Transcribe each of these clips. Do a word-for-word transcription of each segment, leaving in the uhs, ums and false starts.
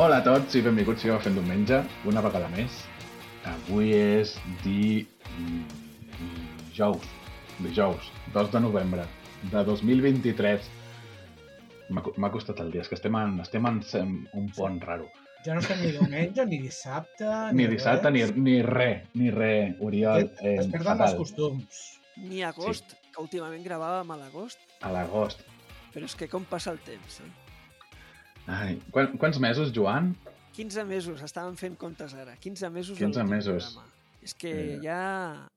Hola a tots i benvinguts a Fent Diumenge, una vegada més. Avui és di... dijous, dijous, dos de novembre de dos mil vint-i-tres. M'ha costat el dia, és que estem en, estem en un pont raro. Ja no estem ni diumenge, ni dissabte, ni, ni dissabte, ni, ni res, ni res, Oriol. Eh, es perden els costums. Ni agost, sí. Que últimament gravàvem a l'agost. A l'agost. Però és que com passa el temps, eh? Ai, quan, quants mesos, Joan? quinze mesos, estàvem fent comptes ara. quinze mesos. quinze mesos. Programa. És que eh... ja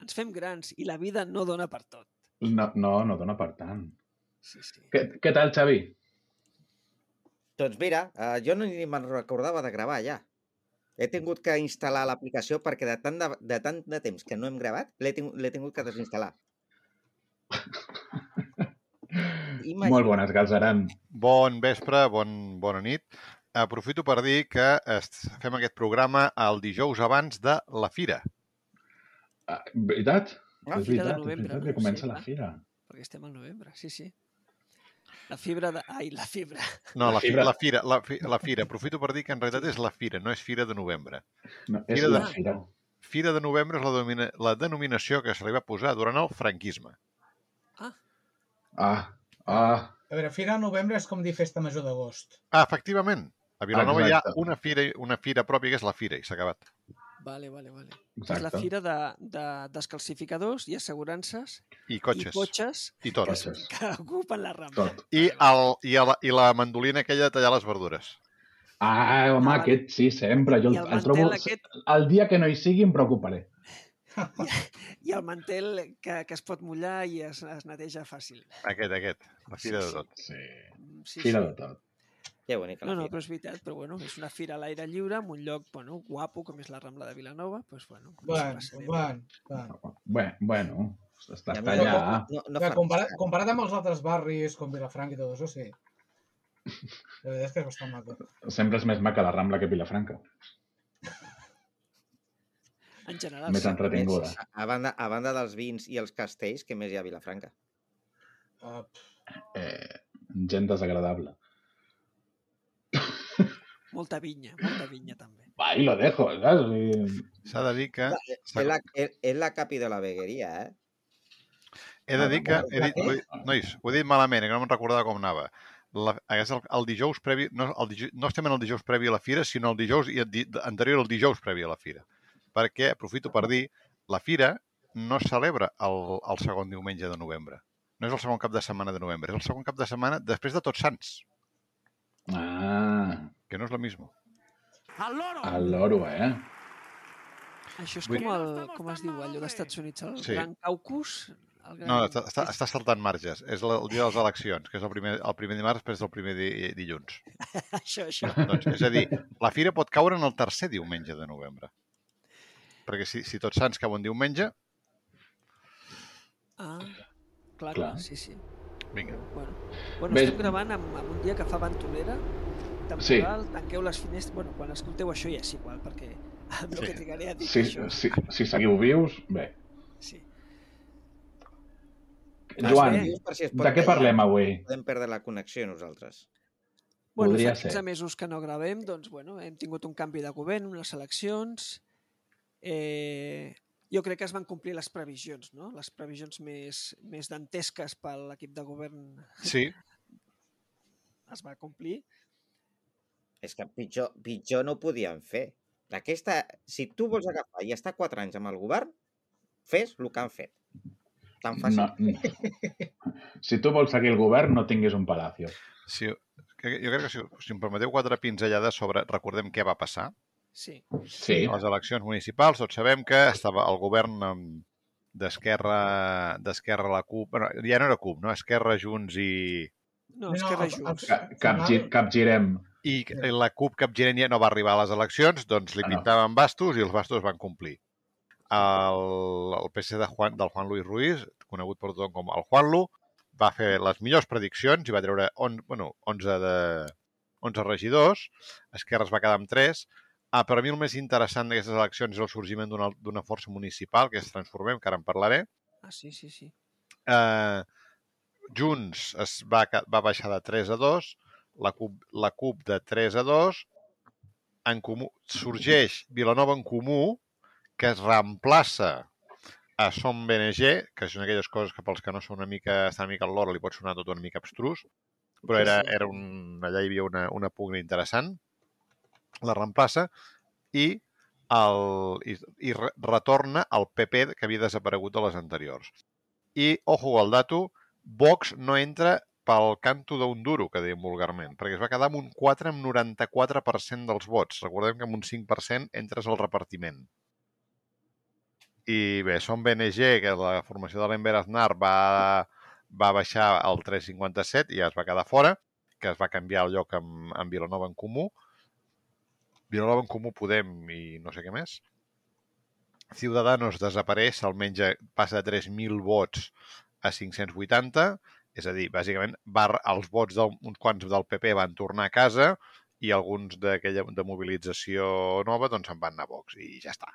ens fem grans i la vida no dona per tot. No, no, no dona per tant. Sí, sí. Què, què tal, Xavi? Doncs mira, uh, jo no ni me'n recordava de gravar ja. He tingut que instal·lar l'aplicació perquè de tant de, de tant de temps que no hem gravat, l'he tingut, l'he tingut que desinstal·lar. Imagina. Molt bones, Galzeran. Bon vespre, bon, bona nit. Aprofito per dir que fem aquest programa el dijous abans de la Fira. Ah, veritat? La és Fira veritat, de novembre. és veritat que no? comença sí, la Fira. Perquè estem al novembre, sí, sí. La fibra de... Ai, la fibra. No, la, fibra. la, fira, la, la Fira. Aprofito per dir que en realitat és la Fira, no és Fira de novembre. No, és fira la de, Fira. Fira de novembre és la, domina, la denominació que se li va posar durant el franquisme. Ah. Ah, ah. A veure, Fira de novembre és com dir festa major d'agost. Ah, efectivament. A Vilanova Exacte. hi ha una fira, una fira pròpia que és la Fira i s'ha acabat. Vale, vale, vale. Exacte. És la fira de, de descalcificadors i assegurances I cotxes. i cotxes I tot. que, que ocupen la Rambla. Tot. I, el, i, el, I la mandolina aquella de tallar les verdures. Ah, home, Ah, aquest sí, sempre. Jo el, I el el trobo... mantel aquest- El dia que no hi sigui em preocuparé. I el mantel que, que es pot mullar i es, es neteja fàcil. Aquest, aquest. La Fira de tot. Sí, Sí, Fira sí. de tot. Que bonica la No, no, Fira. però és veritat, però bueno, és una fira a l'aire lliure, en un lloc, bueno, guapo, com és la Rambla de Vilanova, doncs bueno. Bueno, ens passarem. bueno, bueno. Bé, bueno, està I a està mi no- allà. No, no Clar, fa comparat, res. comparat amb els altres barris, com Vilafranca i tot això, sí. La veritat és que és bastant maco. Sempre és més maca la Rambla que Vilafranca. En general, Més sí. entretinguda. A, a, banda, a banda dels vins i els castells, què més hi ha a Vilafranca? Uh, Eh, gent desagradable. Molta vinya, molta vinya també. Ahí lo dejo, saps? I- S'ha de dir que... És la, és, és la capi de la vegueria, eh? He de dir que... He dit, Què? ho he dit, nois, ho he dit malament, que no me'n recordava com anava. La, és el, el dijous previ... No, el dijous, no estem en el dijous previ a la Fira, sinó el dijous i el di, anterior al dijous previ a la Fira. Perquè, aprofito per dir, la Fira no es celebra el, el segon diumenge de novembre. No és el segon cap de setmana de novembre, és el segon cap de setmana després de Tots Sants, Ah, que no és lo mismo. el loro, eh? Això és Vull- com el, com es diu, allò d'Estats Units, el Sí. Gran Caucus? El gran... No, està, està, està saltant marges. És el, el dia de les eleccions, que és el primer, el primer dimarts després del primer di, dilluns. Això, això. Doncs, és a dir, la Fira pot caure en el tercer diumenge de novembre. Perquè si, si Tots Sants cau en diumenge, Ah, clar, Clar. clar, sí, sí. vinga. Bueno, bueno Bé. estem gravant amb, amb un dia que fa ventolera, temporal, tanqueu les finestres... Bueno, quan escolteu això ja és igual, perquè amb el Sí. que trigaré a dir Si, això... si, si seguiu vius, bé. Sí. Joan, bé. Per si es pot de què tallar, parlem avui? Podem perdre la connexió nosaltres. Bueno, Podria fa quinze ser. mesos que no gravem, doncs, bueno, hem tingut un canvi de govern, unes eleccions... Eh, jo crec que es van complir les previsions, no? Les previsions més, més dantesques per l'equip de govern Sí, es va complir. És que pitjor, pitjor no ho podien fer. Aquesta, si tu vols agafar i estar quatre anys amb el govern, fes el que han fet. Tan fàcil. No, si tu vols seguir el govern, no tinguis un palacio. sí, que- jo crec que si, si em permeteu quatre pinzellades sobre... Recordem què va passar. Sí. Sí, A les eleccions municipals tots sabem que estava el govern em, d'Esquerra d'Esquerra la CUP... Bueno, ja no era CUP, no? Esquerra, Junts i... No, No, és que al- res al- junts. Ca- capgi, capgirem. I la CUP capgirent ja no va arribar a les eleccions, doncs li Ah, no. pintaven bastos i els bastos van complir. El, el P C de Juan, del Juan Luis Ruiz, conegut per tothom com el Juanlu, va fer les millors prediccions i va treure on, bueno, onze, de, onze regidors, Esquerra es va quedar amb tres. Ah, per a mi el més interessant d'aquestes eleccions és el sorgiment d'una d'una força municipal, que és Transformem, que ara en parlaré. Ah, sí, sí, sí. Eh, Junts es va, ca- va baixar de tres a dos, la CUP, la CUP de tres a dos, en comú, sorgeix Vilanova en Comú, que es reemplaça a Som B N G, que són aquelles coses que pels que no són una mica, estan una mica al loro li pot sonar tot una mica abstrus, però era, era un, allà hi havia una, una pugna interessant, la reemplaça i, el, i, i retorna al P P que havia desaparegut de les anteriors. I, ojo al dato, Vox no entra pel canto d'un duro, que dèiem vulgarment, perquè es va quedar amb un quatre amb noranta-quatre per cent dels vots. Recordem que amb un cinc per cent entres al repartiment. I bé, Som B N G, que la formació de l'Enver Aznar va, va baixar al tres coma cinquanta-set i ja es va quedar fora, que es va canviar el lloc amb, amb Vilanova en Comú. Vilanova en Comú, Podem i no sé què més. Ciudadanos desapareix, almenys passa de tres mil vots a cinc-cents vuitanta, és a dir, bàsicament va, els vots d'uns quants del P P van tornar a casa i alguns d'aquella de mobilització nova doncs se'n van anar a Vox i ja està.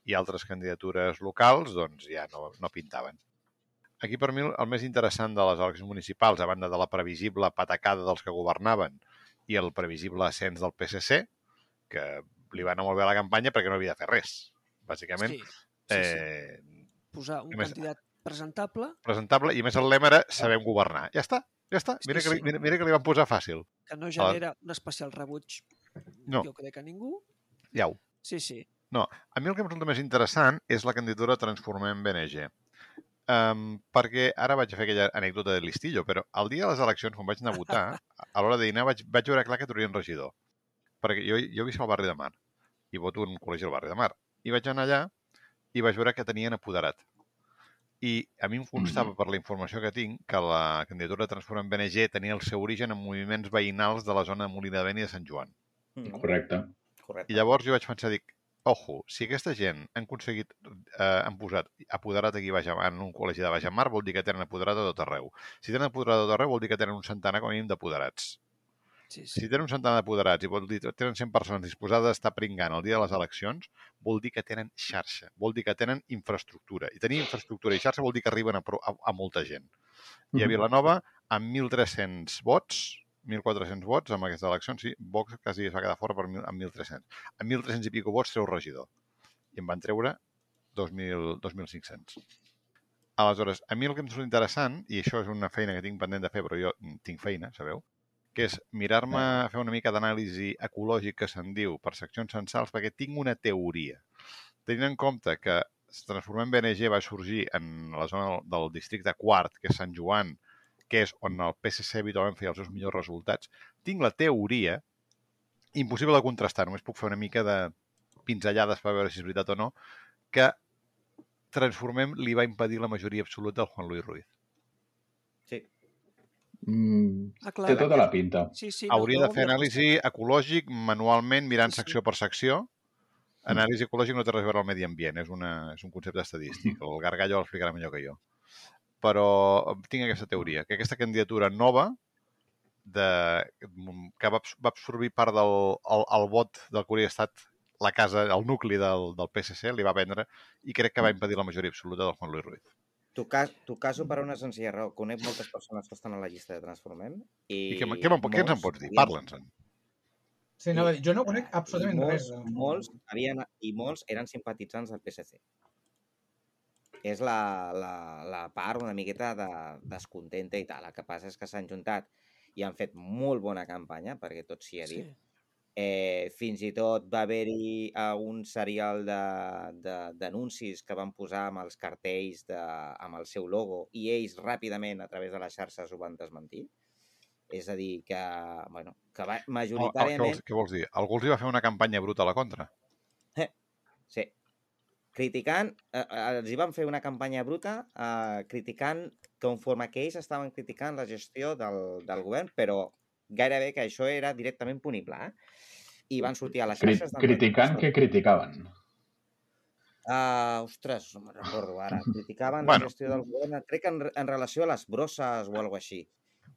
I altres candidatures locals doncs ja no, no pintaven. Aquí per mi el més interessant de les eleccions municipals, a banda de la previsible patacada dels que governaven i el previsible ascens del P S C, que li va anar molt bé a la campanya perquè no havia de fer res, bàsicament. Sí, sí, sí. Eh, Posar un més, candidat presentable. Presentable, i més el lema era sabem governar. Ja està, ja està. Mira, Sí, que, sí. mira, mira que li van posar fàcil. Que no genera un especial rebuig, No. jo crec, a ningú. Iau. Sí, sí. No, a mi el que em resulta més interessant és la candidatura Transformem B N G. Um, perquè ara vaig fer aquella anècdota de listillo, però el dia de les eleccions, quan vaig anar a votar, a l'hora de dinar vaig, vaig veure clar que trauria un regidor. Perquè jo, jo visc al barri de Mar i voto en un col·legi al barri de Mar. I vaig anar allà i vaig veure que tenien apoderat. I a mi em constava, per la informació que tinc, que la candidatura Transformem B N G tenia el seu origen en moviments veïnals de la zona de Molina de Vent i de Sant Joan. Correcte. Correcte. I llavors jo vaig pensar, dic, ojo, si aquesta gent han aconseguit, eh, han posat apoderat aquí baix, en un col·legi de Baix Mar, vol dir que tenen apoderat a tot arreu. Si tenen apoderat a tot arreu, vol dir que tenen un centenar com a mínim d'apoderats. Sí, sí. Si tenen un centenar d'apoderats i vol dir que tenen cent persones disposades d'estar pringant el dia de les eleccions, vol dir que tenen xarxa, vol dir que tenen infraestructura. I tenir infraestructura i xarxa vol dir que arriben a, a, a molta gent. I a Vilanova, amb mil tres-cents vots, mil quatre-cents vots amb aquestes eleccions, sí, Vox quasi es va quedar fora per mil, amb mil tres-cents. Amb mil tres-cents i pico vots treu regidor. I em van treure dos mil cinc-cents. Aleshores, a mi el que em surt interessant, i això és una feina que tinc pendent de fer, però jo tinc feina, sabeu? Que és mirar-me, fer una mica d'anàlisi ecològic que se'n diu per seccions censals, perquè tinc una teoria. Tenint en compte que Transformem B N G va sorgir en la zona del districte quart, que és Sant Joan, que és on el P S C habitualment feia els seus millors resultats, tinc la teoria, impossible de contrastar, només puc fer una mica de pinzellades per veure si és veritat o no, que Transformem li va impedir la majoria absoluta al Juan Luis Ruiz. Sí. Mm, Ah, clar. té tota la pinta. Sí, sí, Hauria no, de fer no, anàlisi ecològic manualment, mirant Sí, sí. secció per secció. Anàlisi ecològic no té res a veure amb el medi ambient, és, una, és un concepte estadístic. El Gargallo l'explicarà millor que jo. Però tinc aquesta teoria, que aquesta candidatura nova de, que va, va absorbir part del el, el vot del que hauria estat la casa, el nucli del, del P S C, li va vendre i crec que va impedir la majoria absoluta del Juan Luis Ruiz. Tu, cas, tu caso per una senzilla raó. Conec moltes persones que estan a la llista de Transformem i... I què, què, què, què ens en pots dir? Parla'ns-en. Sí, no, jo no conec I absolutament molts, res. de- molts, havien, I molts eren simpatitzants del P S C. És la, la, la part una miqueta de, descontenta i tal. El que passa és que s'han juntat i han fet molt bona campanya, perquè tot s'hi ha Sí. dit. Eh, fins i tot va haver-hi eh, un serial d'anuncis que van posar amb els cartells de, amb el seu logo i ells ràpidament a través de les xarxes ho van desmentir. És a dir, que, bueno, que va, Oh, què, majoritàriament... vols, què vols dir? Algú els hi va fer una campanya bruta a la contra? Sí. Criticant, eh, els hi van fer una campanya bruta eh, criticant, conforme que ells estaven criticant la gestió del, del govern, però gairebé que això era directament punible, eh? I van sortir a les Cri xarxes... criticant que criticaven. Uh, ostres, no me'n recordo ara. Criticaven Bueno. la gestió del govern, crec que en, en relació a les brosses o alguna així.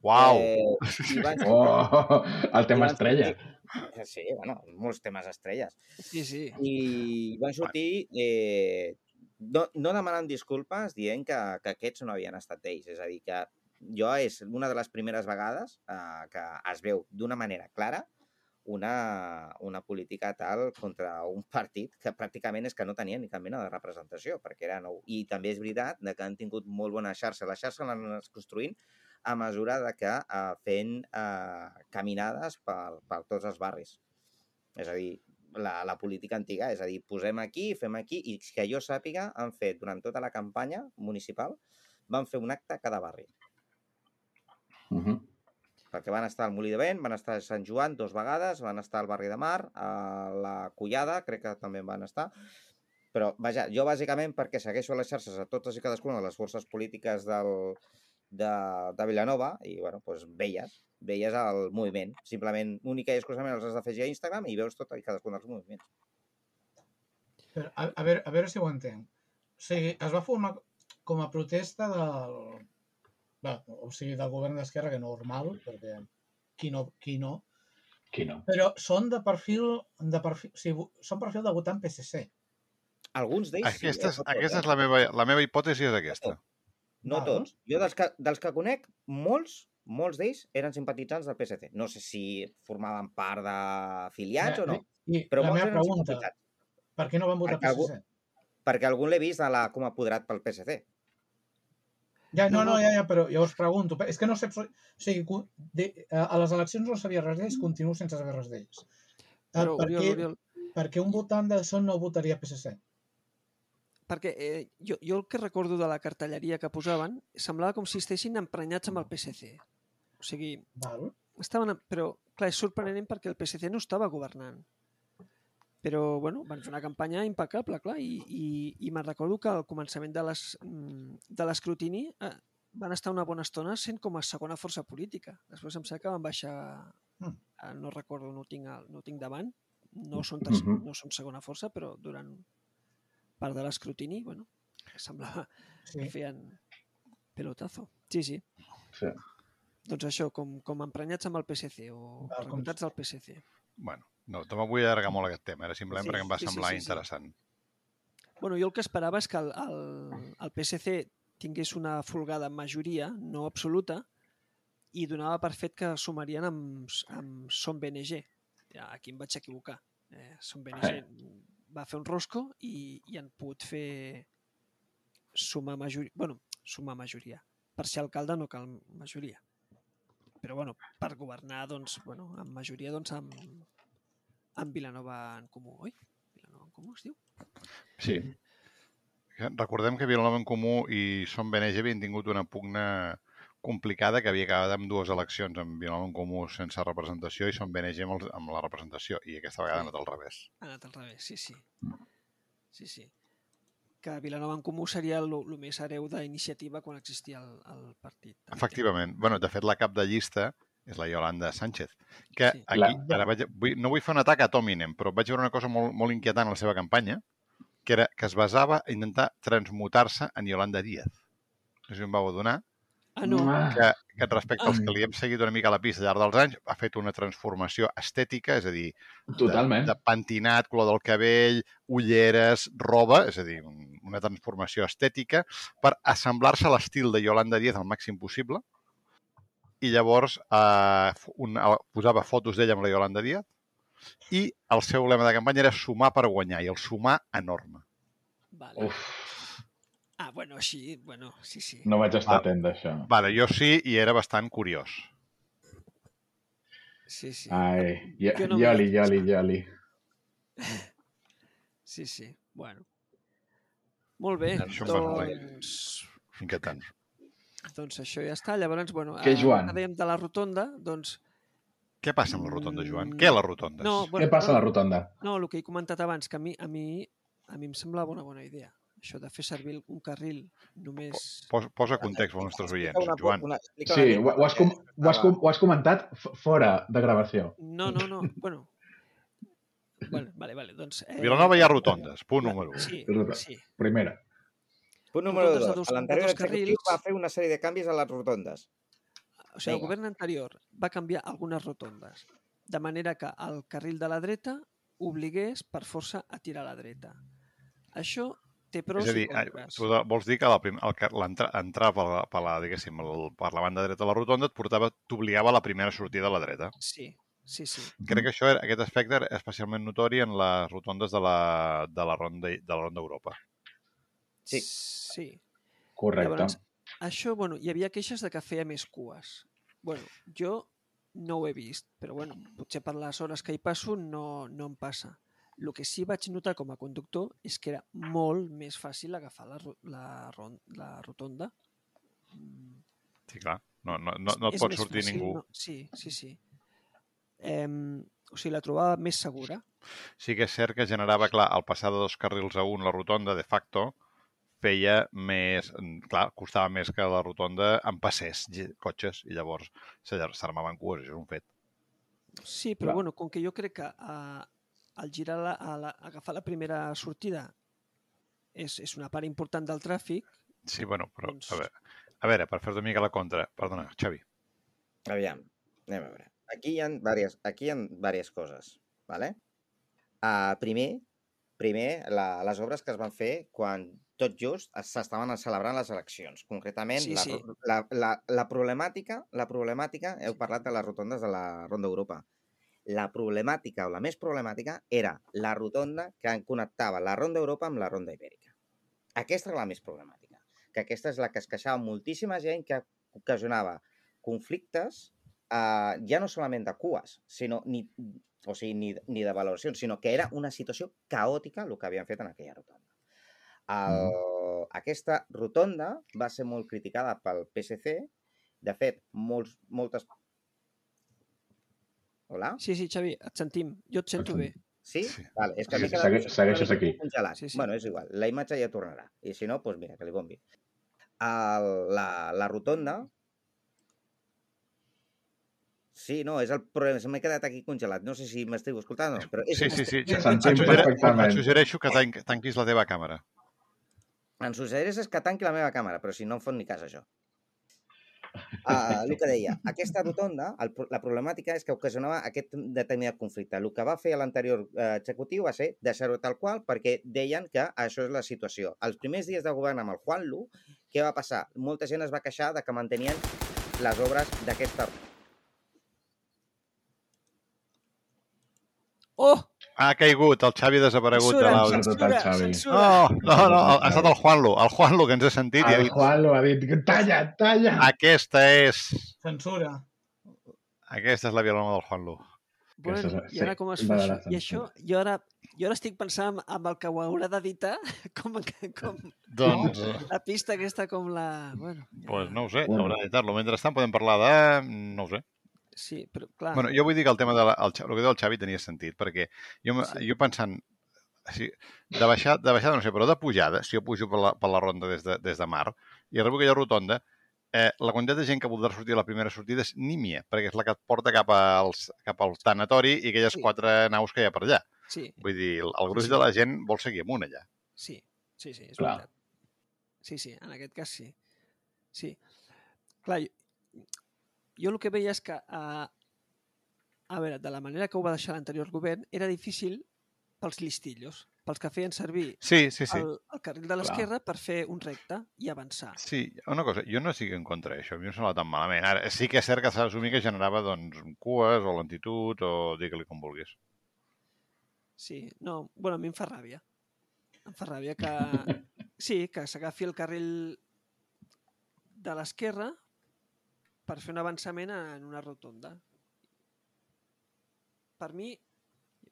Uau! Eh, i van, Oh, el i tema van estrella. sortir- Sí, bueno, molts temes estrelles. Sí, sí. I van sortir eh, no, no demanant disculpes dient que, que aquests no havien estat ells. És a dir, que jo és una de les primeres vegades eh, que es veu d'una manera clara una, una política tal contra un partit que pràcticament és que no tenia ni cap mena de representació, perquè era nou. I també és veritat que han tingut molt bona xarxa. La xarxa l'han anat construint a mesura de que eh, fent eh, caminades per, per tots els barris. És a dir, la, la política antiga, és a dir, posem aquí, fem aquí, i que jo sàpiga, han fet durant tota la campanya municipal, van fer un acte a cada barri. Uh -huh. Perquè van estar al Molí de Vent, van estar a Sant Joan dos vegades, van estar al barri de Mar, a la Collada, crec que també van estar. Però, vaja, jo bàsicament perquè segueixo les xarxes a totes i cadascuna de les forces polítiques del, de, de Vilanova i, bueno, doncs veies, veies el moviment. Simplement, única i exclusivament els has d'afegir a Instagram i veus tot i cadascun dels moviments. Però, a, a, veure, a veure si ho entenc. O sigui, es va formar com a protesta del... Bé, o sigui, del govern d'Esquerra, que normal, perquè qui no, qui no. Qui no? Però són de perfil, de perfil, o sigui, són perfil de votant P S C. Alguns d'ells Aquesta, sí. és, aquesta és la meva, la meva hipòtesi, és aquesta. No Val. tots. Jo dels que, dels que conec, molts, molts d'ells eren simpatitzants del P S C. No sé si formaven part d'afiliats o no, I però la molts meva eren pregunta, simpatitzants. per què no van votar Perquè P S algú- C? Perquè algun l'he vist a la, com a apoderat pel P S C. Ja, no, No, no, no. ja, ja, però llavors pregunto. És que no sé... O sigui, cu- de, a les eleccions no sabia res d'ells, continuo sense saber res d'ells. Eh, Però, per, Oriol, què, Oriol, per què un votant de Son no votaria P S C? perquè eh, jo, jo el que recordo de la cartelleria que posaven semblava com si estessin emprenyats amb el P S C. O sigui, Val? estaven... Però, clar, és sorprenent perquè el P S C no estava governant. Però, bueno, van fer una campanya impecable, clar, i, i, i me'n recordo que al començament de les- mm, de l'escrutini eh, van estar una bona estona sent com a segona força política. Després em sembla que van baixar... Mm. eh, no recordo, no ho tinc, al- no ho tinc davant, no són, terc- Mhm. no són segona força, però durant part de l'escrutini, bueno, semblava Sí. que feien pelotazo. Sí, sí. Sí. Doncs això, com, com emprenyats amb el P S C o Val, com- reclutats del P S C. Bueno, no, tampoc vull allargar molt aquest tema, era simplement Sí, perquè em va sí, sí, semblar sí, sí. interessant. Bueno, jo el que esperava és que el, el, el P S C tingués una folgada majoria, no absoluta, i donava per fet que sumarien amb, amb Som B N G. Ja, aquí em vaig equivocar. Eh, Som B N G va fer un rosco i, i han pogut fer sumar majoria. Bueno, sumar majoria. Per ser alcalde no cal majoria. Però, bueno, per governar, doncs, bueno, amb majoria, doncs, amb, amb Vilanova en Comú. Oi? Vilanova en Comú es diu? Sí. Recordem que Vilanova en Comú i Som B N G havien tingut una pugna complicada que havia acabat amb dues eleccions, amb Vilanova en Comú sense representació i Som B N G amb, el, amb la representació, i aquesta vegada ha anat al revés. Ha anat al revés, sí, sí. Sí, sí. Que Vilanova en Comú seria el, el més hereu d'iniciativa quan existia el, el partit. Efectivament. Bueno, de fet, la cap de llista és la Yolanda Sánchez, que Sí. aquí, La- ara vaig, vull, no vull fer un atac a Tominem, però vaig veure una cosa molt, molt inquietant a la seva campanya, que era que es basava a intentar transmutar-se en Yolanda Díaz. No sé si em vau adonar, Ah, no. Ah, que, que respecte als que li hem seguit una mica a la pista al llarg dels anys, ha fet una transformació estètica, és a dir, totalment. de, de pentinat, color del cabell, ulleres, roba, és a dir, un, una transformació estètica per assemblar-se a l'estil de Yolanda Díaz al màxim possible. I llavors eh, un, posava fotos d'ella amb la Yolanda Díaz i el seu lema de campanya era sumar per guanyar, i el sumar enorme. Vale. Uf, Ah, bueno, així, bueno, sí, sí. no vaig estar Va. atent d'això. Vale, jo sí, i era bastant curiós. Sí, sí. Ai, i- Jo no m'hi Yoli, vaig Yoli, pensar. Yoli. Sí, sí. Bueno. Molt bé. Això em va molt bé. Doncs, Inquietant. doncs això ja està. Llavors, bueno, Què, eh, Joan? que dèiem de la rotonda, doncs... Què passa amb la rotonda, Joan? Mm, Què a les rotondes? No, Què passa a la rotonda? No, el que he comentat abans, que a mi, a mi, a mi em semblava una bona idea. Això de fer servir un carril només... Posa, posa context als nostres oients, Explica una- Joan. una- explica Sí, una mica ho, ho, has, com, ho, has, com, ho has comentat f- fora de gravació. No, no, no. Bueno, bueno vale, vale. Doncs, eh, Vilanova hi ha rotondes, punt la- número u. Sí, Ruta. sí. Primera. Punt número Rotondes de dos. dos- A l'anterior de dos executiu carrils. va fer una sèrie de canvis a les rotondes. O sigui, el Vinga. govern anterior va canviar algunes rotondes, de manera que el carril de la dreta obligués per força a tirar a la dreta. Això té pros És a dir, i contres. tu de- vols dir que la prim- el que- l'entra- entrar per la, per, la, diguéssim, el, per la banda dreta de la rotonda et portava, t'obligava a la primera sortida a la dreta. Sí, Sí, sí. Crec que això, era- aquest aspecte era especialment notori en les rotondes de la, de la ronda de la ronda Europa. Sí. Sí. Correcte. Llavors, això, bueno, hi havia queixes de que feia més cues. Bueno, jo no ho he vist, però bueno, potser per les hores que hi passo no, no em passa. El que sí vaig notar com a conductor és que era molt més fàcil agafar la, ro- la, ron- la rotonda. Mm, Sí, clar. No, no, no, és- no et és pot més sortir fàcil, ningú. No? Sí, sí, sí. Em, o sigui, la trobava més segura. Sí que és cert que generava, clar, al passar de dos carrils a un la rotonda, de facto, feia més... Clar, costava més que la rotonda en passés ge- cotxes i llavors s'allar- s'armaven cues, això és un fet. Sí, però Clar. bueno, com que jo crec que a, al girar la, a la, agafar la primera sortida és, és una part important del tràfic, Sí, bueno, però, Doncs- a veure, a veure per fer-te una mica la contra... Perdona, Xavi. Aviam, anem a veure. Aquí hi ha diverses, aquí hi ha diverses coses, ¿vale? Uh, primer, primer la, les obres que es van fer quan tot just es- s'estaven celebrant les eleccions. Concretament, Sí, la, sí. ro- la, la, la problemàtica, la problemàtica, heu Sí. parlat de les rotondes de la Ronda Europa. La problemàtica, o la més problemàtica, era la rotonda que connectava la Ronda Europa amb la Ronda Ibèrica. Aquesta era la més problemàtica, que aquesta és la que es queixava moltíssima gent, que ocasionava conflictes, eh, ja no solament de cues, sinó ni, o sigui, ni, ni de valoracions, sinó que era una situació caòtica el que havien fet en aquella rotonda. El, Mm. Aquesta rotonda va ser molt criticada pel P S C. De fet, molts, moltes... Hola? Sí, sí, Xavi, et sentim. Jo et sento bé. Sí? Sí. Vale, és que Sí, m'he sí, quedat segue- segueixes una mica aquí. congelat. Sí, sí. Bueno, és igual, la imatge ja tornarà. I si no, doncs mira, que li bombi. El, la, la rotonda... Sí, no, és el problema. Se m'he quedat aquí congelat. No sé si m'esteu escoltant o no, però és Sí, igual. sí, sí. Sí, Et sentim suggere- perfectament. Et suggereixo que tanc, tanquis la teva càmera. Em suggereix que tanqui la meva càmera, però si no em fot ni cas, això. Uh, el que deia, aquesta rotonda, el, pro- la problemàtica és que ocasionava aquest determinat conflicte. El que va fer l'anterior eh, executiu va ser deixar-ho tal qual perquè deien que això és la situació. Els primers dies de govern amb el Juanlu, què va passar? Molta gent es va queixar de que mantenien les obres d'aquesta... Oh! Ha caigut, el Xavi ha desaparegut de Censura, l'àudio. Perdut el censura, Xavi. censura. No, no, no, ha estat el Juanlu, el Juanlu que ens ha sentit i ha El dit Juan lo ha dit. Talla, talla! aquesta és... Censura. Aquesta és la violama del Juanlu. Bueno, és- i ara sí, com es la fa de això? la I això, censura. jo ara, jo ara estic pensant amb, amb el que ho haurà d'editar, com, com Doncs, la pista aquesta, com la... Bueno, ja... pues no ho sé, Bueno. haurà d'editar-lo. Mentrestant podem parlar de... no ho sé. Sí, però clar... Bueno, jo vull dir que el tema de la, el, Xa- el que diu el Xavi tenia sentit, perquè jo, m- Sí. jo pensant, si, de, baixada, de baixada no sé, però de pujada, si jo pujo per la, per la ronda des de, des de mar i arribo a aquella rotonda, eh, la quantitat de gent que voldrà sortir a la primera sortida és nímia, perquè és la que et porta cap, als, cap al tanatori i aquelles Sí. quatre naus que hi ha per allà. Sí, Vull dir, el, el gruix Sí, sí. de la gent vol seguir amunt allà. sí, sí, sí, és Clar. veritat. Sí, sí, en aquest cas sí. Sí. Clar, jo, jo el que veia és que, uh, a veure, de la manera que ho va deixar l'anterior govern, era difícil pels listillos, pels que feien servir Sí, sí, sí. el, el carril de l'esquerra per fer un recte i avançar. Sí, una cosa, jo no estic en contra d'això, a mi no em sembla tan malament. Ara, sí que és cert que s'ha d'assumir que generava doncs, cues o lentitud o digue-li com vulguis. Sí, no, bueno, a mi em fa ràbia. Em fa ràbia que... Sí, que s'agafi el carril de l'esquerra per fer un avançament en una rotonda. Per mi,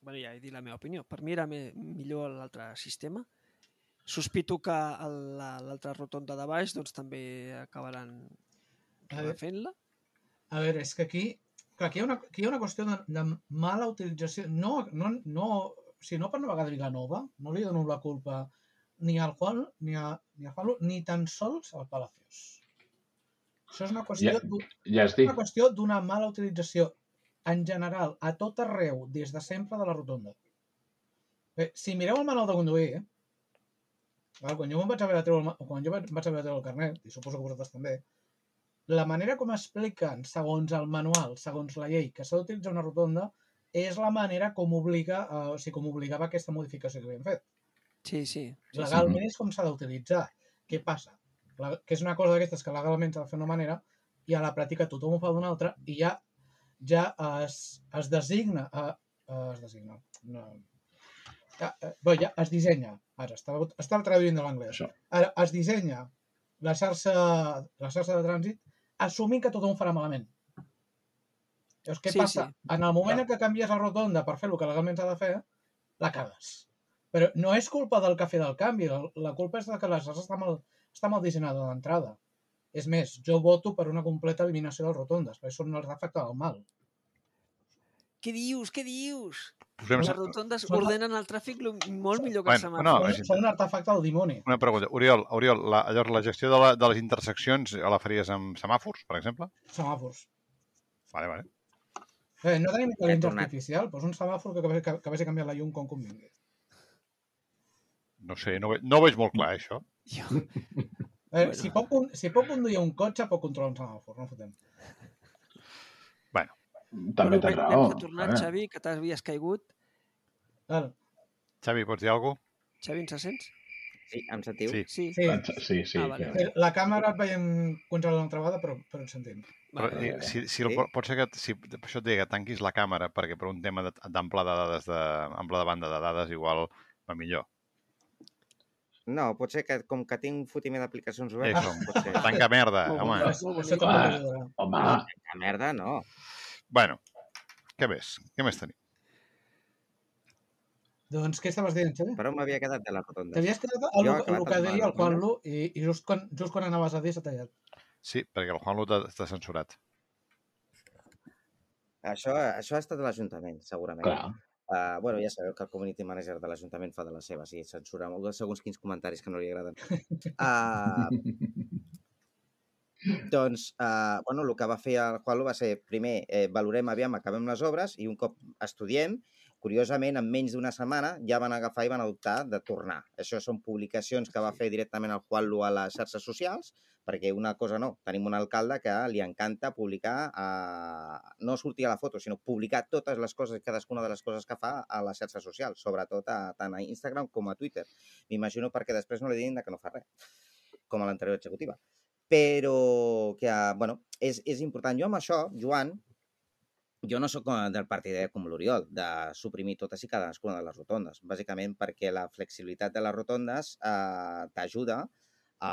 bueno, ja he dit la meva opinió, per mi era me, millor l'altre sistema. Sospito que el- la- l'altra rotonda de baix doncs, també acabaran A veure. fent-la. A veure, és que aquí, clar, aquí, hi ha una, aquí hi ha una qüestió de, de mala utilització. No, no, no, si no per una vegada Vilanova, no li dono la culpa ni al Juan, ni a, ni a Juanlu, ni tan sols al Palacios. Això és una qüestió, Ja, d'u- ja has dit. una qüestió d'una mala utilització en general, a tot arreu, des de sempre de la rotonda. Bé, si mireu el manual de conduir, eh? Val, quan jo me'n vaig haver de treure el, ma- quan jo vaig vaig haver de treure el carnet, i suposo que vosaltres també, la manera com expliquen, segons el manual, segons la llei, que s'ha d'utilitzar una rotonda, és la manera com obliga, eh, o sigui, com obligava aquesta modificació que havíem fet. Sí, sí. sí, sí. Legalment és com s'ha d'utilitzar. Què passa? La, que és una cosa d'aquestes que legalment s'ha de fer d'una manera i a la pràctica tothom ho fa d'una altra i hi ha ja es, es designa... Uh, uh, es designa... No. Uh, uh, bé, ja es dissenya. Ara, estava, estava traduint de l'anglès. Això. Ara, es dissenya la xarxa, la xarxa de trànsit assumint que tothom farà malament. Llavors, què Sí, passa? sí. En el moment Clar. en què canvies la rotonda per fer el que legalment s'ha de fer, la cagues. Però no és culpa del que ha fet el canvi, la, la culpa és de que la xarxa està mal, està mal dissenyada d'entrada. És més, jo voto per una completa eliminació de les rotondes, perquè són el reflecte del mal. Què dius? Què dius? Posem... Les rotondes Són- ordenen el tràfic lo- molt millor que els Bueno, semàfors. no, Són, és- són un artefacte del dimoni. Una pregunta. Oriol, Oriol la, llavors, la gestió de, la, de les interseccions la faries amb semàfors, per exemple? Semàfors. Vale, vale. Eh, no tenim intel·ligència tornat. artificial, doncs un semàfor que, que, que vagi a canviar la llum com convingui. No sé, no, ve, no ho veig molt clar, això. Jo... Eh, Bueno. si, pot, con- si pot conduir un cotxe, pot controlar un semàfor, no fotem. Bueno, També Bueno, tens bé, raó. Hem tornat, eh? Xavi, que t'havies caigut. Val. Xavi, pots dir alguna cosa? Xavi, ens sents? Sí, em sentiu? Sí. Sí. Sí, Sí, sí. Ah, vale. que- sí, la càmera et veiem congelar una altra vegada, però, però ens sentim. Però, Vale. eh, si, si el, Sí. pot ser que si, per això et deia que tanquis la càmera perquè per un tema de- d'ample de dades de, ample de banda de dades igual va millor. No, pot ser que com que tinc un fotimer d'aplicacions obertes, Això. pot ser. Tanca merda, Molt home. bo. Això, molt això bonic. també Ah. t'ajudarà. Home, La merda, no. Bueno, què més? Què més tenim? Doncs què estaves dient, Xavi? Per on m'havia quedat de les rotondes? T'havies quedat el, Jo he el, acabat el que amb deia el les Juanlu i, i just, quan, just quan anaves a dir s'ha tallat. Sí, perquè el Juanlu t'ha t'ha censurat. Això, això ha estat l'Ajuntament, segurament. clar. Uh, bueno, ja sabeu que el community manager de l'Ajuntament fa de les seves i censura molt segons quins comentaris que no li agraden. Uh, doncs, uh, bueno, el que va fer el Juanlu va ser, primer, eh, valorem, aviam, acabem les obres i un cop estudiem, curiosament, en menys d'una setmana ja van agafar i van adoptar de tornar. Això són publicacions que va fer directament el Juanlu a les xarxes socials, perquè una cosa no, tenim un alcalde que li encanta publicar, eh, no sortir a la foto, sinó publicar totes les coses, cadascuna de les coses que fa a les xarxes socials, sobretot a, tant a Instagram com a Twitter. M'imagino perquè després no li diguin que no fa res, com a l'anterior executiva. Però que, bueno, és, és important. Jo amb això, Joan, jo no sóc del partidari com l'Oriol, de suprimir totes i cadascuna de les rotondes, bàsicament perquè la flexibilitat de les rotondes eh, t'ajuda a,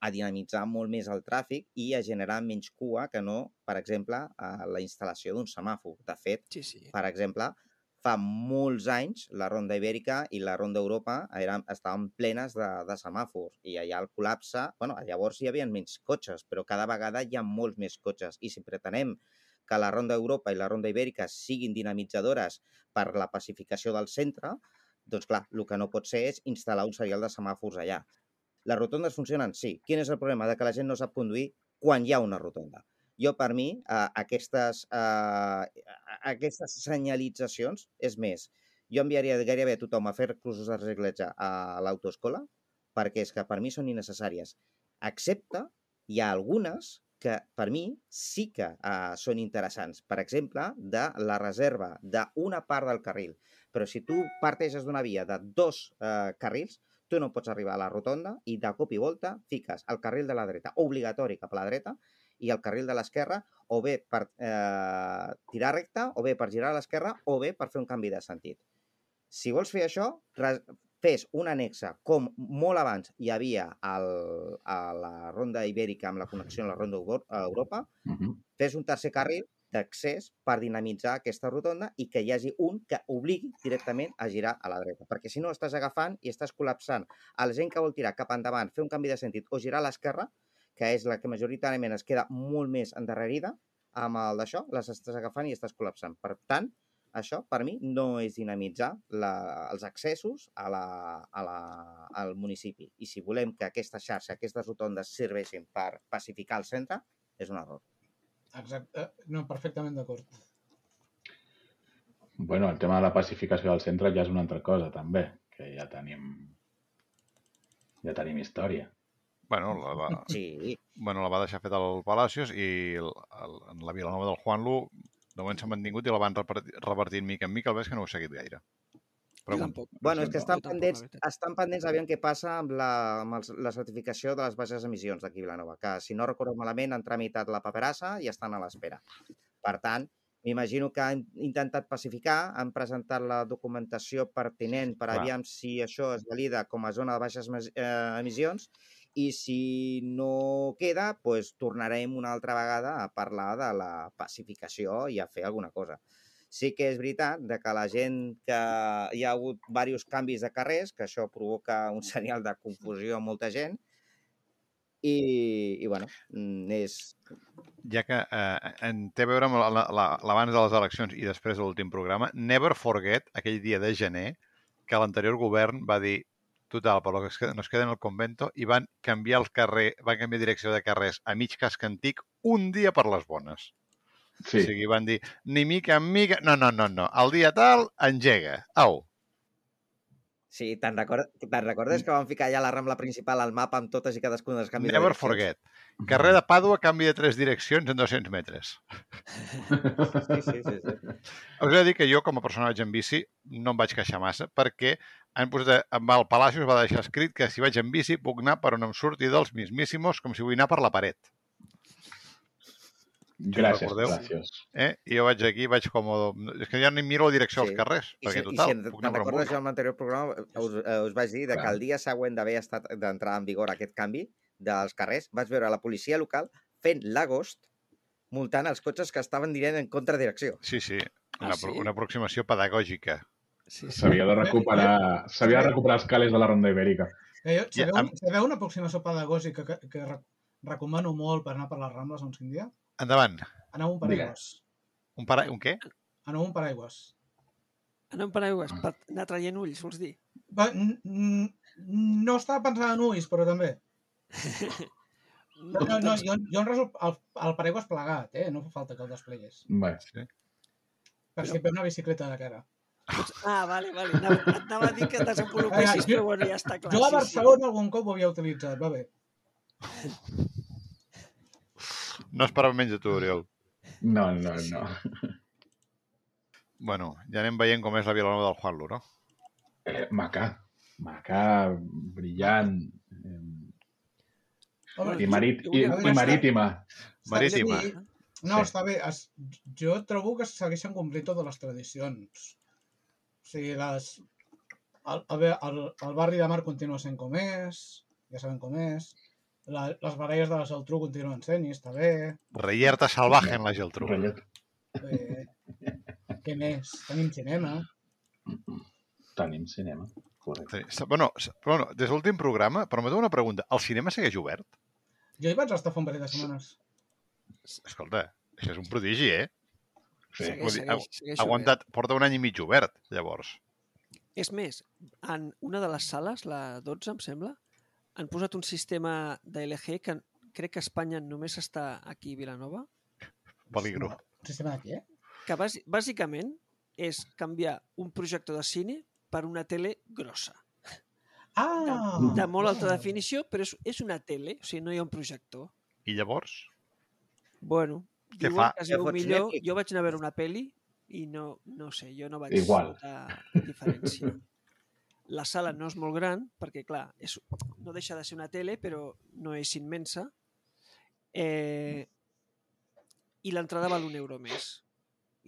a dinamitzar molt més el tràfic i a generar menys cua que no, per exemple, a la instal·lació d'un semàfor. De fet, Sí, sí. per exemple, fa molts anys la Ronda Ibèrica i la Ronda Europa eren, estaven plenes de, de semàfors i allà el col·lapse, bueno, llavors hi havia menys cotxes, però cada vegada hi ha molts més cotxes i si pretenem que la Ronda Europa i la Ronda Ibèrica siguin dinamitzadores per la pacificació del centre, doncs clar, el que no pot ser és instal·lar un serial de semàfors allà. Les rotondes funcionen? Sí. Quin és el problema? De que la gent no sap conduir quan hi ha una rotonda. Jo, per mi, eh, aquestes, eh, aquestes senyalitzacions, és més, jo enviaria gairebé a tothom a fer cursos de reciclatge a l'autoescola perquè és que per mi són innecessàries. Excepte, hi ha algunes que per mi sí que uh, són interessants. Per exemple, de la reserva d'una part del carril. Però si tu parteixes d'una via de dos uh, carrils, tu no pots arribar a la rotonda i de cop i volta fiques el carril de la dreta, obligatori cap a la dreta, i el carril de l'esquerra, o bé per eh, tirar recte, o bé per girar a l'esquerra, o bé per fer un canvi de sentit. Si vols fer això, fes un anexe, com molt abans hi havia el, a la Ronda Ibèrica amb la connexió amb la Ronda Europa, Uh -huh. fes un tercer carril d'accés per dinamitzar aquesta rotonda i que hi hagi un que obligui directament a girar a la dreta. Perquè si no estàs agafant i estàs col·lapsant a la gent que vol tirar cap endavant, fer un canvi de sentit o girar a l'esquerra, que és la que majoritàriament es queda molt més endarrerida amb el d'això, les estàs agafant i estàs col·lapsant. Per tant, això, per mi, no és dinamitzar la, els accessos a la, a la, al municipi. I si volem que aquesta xarxa, aquestes rotondes serveixin per pacificar el centre, és un error. Exacte. No, perfectament d'acord. Bueno, el tema de la pacificació del centre ja és una altra cosa, també, que ja tenim ja tenim història. Bueno, la, la, Sí. bueno, la va deixar feta al Palacios i el, el, en la Vilanova del Juanlu de moment s'ha mantingut i la van repartir, repartint mica en mica, el ves que no ho he seguit gaire. Jo tampoc. Bueno, és que estan Jo tampoc, pendents, la veritat. estan pendents aviam què passa amb, la, amb els, la certificació de les baixes emissions d'aquí a Vilanova, que si no recordo malament han tramitat la paperassa i estan a l'espera. Per tant, m'imagino que han intentat pacificar, han presentat la documentació pertinent per Clar. aviam si això es valida com a zona de baixes mes- eh, emissions i si no queda, doncs tornarem una altra vegada a parlar de la pacificació i a fer alguna cosa. Sí que és veritat de que la gent que hi ha hagut diversos canvis de carrers, que això provoca un serial de confusió a molta gent, i, i bueno, mm, és... Ja que eh, en té a veure amb la- la- l'abans de les eleccions i després de l'últim programa, never forget aquell dia de gener que l'anterior govern va dir total, per lo que es queda- nos queda en el convento, i van canviar el carrer, van canviar direcció de carrers a mig casc antic un dia per les bones. Sí. O sigui, van dir, ni mica en mica... No, no, no, no. El dia tal, engega. Au. Sí, te'n recordes, te'n recordes que van ficar ja la Rambla principal al mapa amb totes i cadascun dels canvis Never de direccions? forget. Carrer de Pàdua canvia de tres direccions en dos-cents metres. Sí, sí, sí, sí. Us he de dir que jo, com a persona que vaig en bici, no em vaig queixar massa, perquè han posat, amb el Palacios va deixar escrit que si vaig en bici puc anar per on em surti dels mismíssimos, com si vull anar per la paret. Gràcies, recordeu? gràcies. Eh? I jo vaig aquí, vaig com... És que ja ni miro la direcció Sí. als carrers, I perquè si, total, i si puc te'n anar per on recordes vulgui. jo en l'anterior programa, us, eh, us vaig dir de que Clar. el dia següent d'haver estat d'entrar en vigor aquest canvi dels carrers, vaig veure la policia local fent l'agost multant els cotxes que estaven dient en contradirecció. Sí, sí, Ah, una, sí? una aproximació pedagògica. Sí, sí. S'havia de recuperar, s'havia de recuperar els cales de la Ronda Ibèrica. Eh, jo, Ja, sabeu, amb- sabeu una aproximació pedagògica que, que re- recomano molt per anar per les Rambles un quin dia? Endavant. Aneu un paraigües. Un, para... un què? Aneu un paraigües. Anar amb paraigües per anar traient ulls, vols dir? Va, n- n- no estava pensant en ulls, però també. No, no, no jo, jo en resol el, el paraigües plegat, eh? No fa falta que el desplegués. Bé, Sí. Per si et ve una bicicleta de cara. Doncs- Ah, vale, vale. Anava, et anava a dir que et desenvolupessis, Vinga, jo- però bueno, ja està clar. Jo a sí, sí. Barcelona algun cop ho havia utilitzat, va bé. No esperava menys de tu, Oriol. no, no, no. Bueno, ja anem veient com és la Vilanova del Juanlo, no? Eh, macà, macà, brillant, eh, Home, i, marit, jo i, volia i començar- marítima. Marítima. Sí. No, Sí. està bé. Es, jo trobo que segueixen complint totes les tradicions. O sigui, les... El, el, el, el barri de mar continua sent com és, ja sabem com és. La, les baralles de la Geltrú continuen sent i està bé. Reyerta salvaje en la Geltrú. Rotllet. bé. Què més? Tenim cinema. Tenim cinema, correcte. Sí. Bueno, s- bueno, des de l'últim programa, permeteu una pregunta. El cinema segueix obert? Jo hi vaig estar fa un parell de setmanes. Escolta, això és un prodigi, eh? Sí. Segueix, Vull dir, segueix, segueix Ha aguantat, porta un any i mig obert, llavors. obert. És més, en una de les sales, la dotze, em sembla, han posat un sistema de L G que crec que a Espanya només està aquí a Vilanova, Peligro. Un sistema de què? que bàs- bàsicament és canviar un projector de cine per una tele grossa. Ah! De molt alta definició, però és, és una tele, o sigui, no hi ha un projector. I llavors? Bueno, Què diuen fa? que es Ja veu fots millor. Netflix. Jo vaig anar a veure una peli i no, no sé, jo no vaig Igual. notar diferència. La sala no és molt gran, perquè, clar, és, no deixa de ser una tele, però no és immensa. Eh, I l'entrada val un euro més.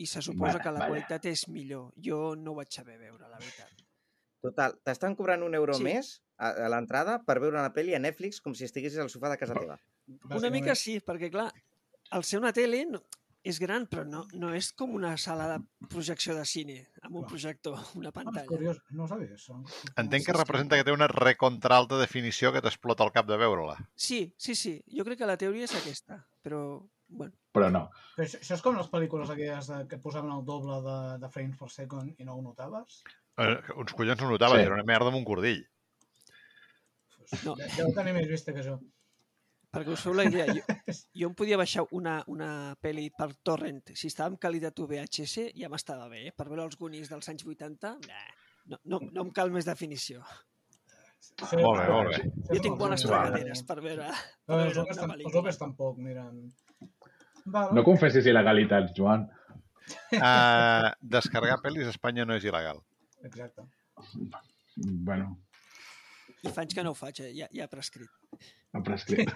I se suposa Vale, que la vale. qualitat és millor. Jo no ho vaig saber veure, la veritat. Total, t'estan cobrant un euro Sí. més a, a l'entrada per veure una pel·li a Netflix com si estiguessis al sofà de casa teva. Una mica sí, perquè, clar, al ser una tele no, és gran, però no, no és com una sala de projecció de cine, amb un Clar. projector, una Ah, és pantalla. curiós, no ho sabia, això. Entenc que sí, sí. representa que té una recontra alta definició que t'explota el cap de veure-la. Sí, sí, sí. Jo crec que la teoria és aquesta, però, bueno, Però no. Però això, això és com les pel·lícules aquelles de, que posaven el doble de, de frames per second i no ho notaves? Eh, uns collons no ho notaves, Sí. era una merda amb un cordill. Pues, No. no. Deu tenir més vista que jo. perquè us feu la idea, jo, jo em podia baixar una, una pel·li per torrent. Si estava en qualitat U V H S ja m'estava bé, eh? Per veure els Goonies dels anys vuitanta, nah, no, no, no em cal més definició. Sí, Molt bé, molt bé. Jo tinc bones Vale. tragaderes per veure, per No, veure els homes, una tam- els pel·lícula. homes tampoc miren... Val. No confessis il·legalitats, Joan. Uh, descarregar pel·lis a Espanya no és il·legal. Exacte. Bueno, I fa anys que no ho faig, ja, ja ha prescrit. Ha prescrit.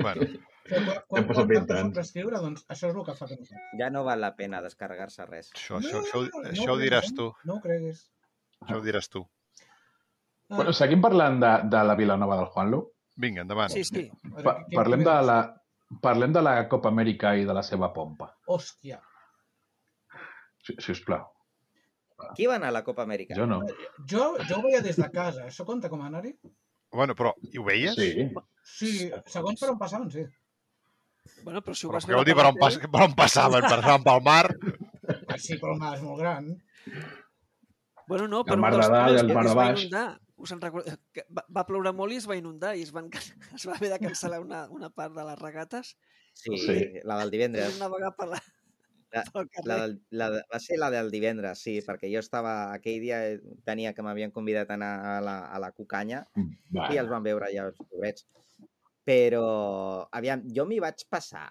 Bueno, Quan, quan, Hem passat quan vint et poso a anys. prescriure, doncs això és el que fa que no faig. Ja no val la pena descarregar-se res. això, això, això, no, això ho ho diràs creguis, tu. eh? No ho creguis. Això ho diràs tu. Ah, Bueno, seguim parlant de, de la Vilanova del Juanlu. Vinga, endavant. Sí, sí. a veure, Pa què- parlem, què de veus? la, parlem de la Copa Amèrica i de la seva pompa, Hòstia. si, si us plau. Qui va anar a la Copa Amèrica? Jo no. Jo, jo ho veia des de casa. Això compta com a anar-hi? Bueno, però, i ho veies? Sí. Sí, segons per on passaven, sí. Bueno, però si ho Però vas què vol veure dir per per on, la pas, tele... per on passaven? Passaven pel mar? Ah, sí, però el mar és molt gran. Bueno, no, El per un mar dels de dalt i túnels el que mar es de va baix. inundar. Us en recorda... que va, va ploure molt i es va inundar i es, van... es va haver de cancel·lar una, una part de les regates. Sí, Sí. la del Vam divendres. navegar per la... La, pel carrer. la, del- la, de- va ser la del divendres, sí, perquè jo estava... Aquell dia tenia que m'havien convidat a anar a la, a la Cucanya i els Va. van veure ja els pobrets. Però, aviam, jo m'hi vaig passar.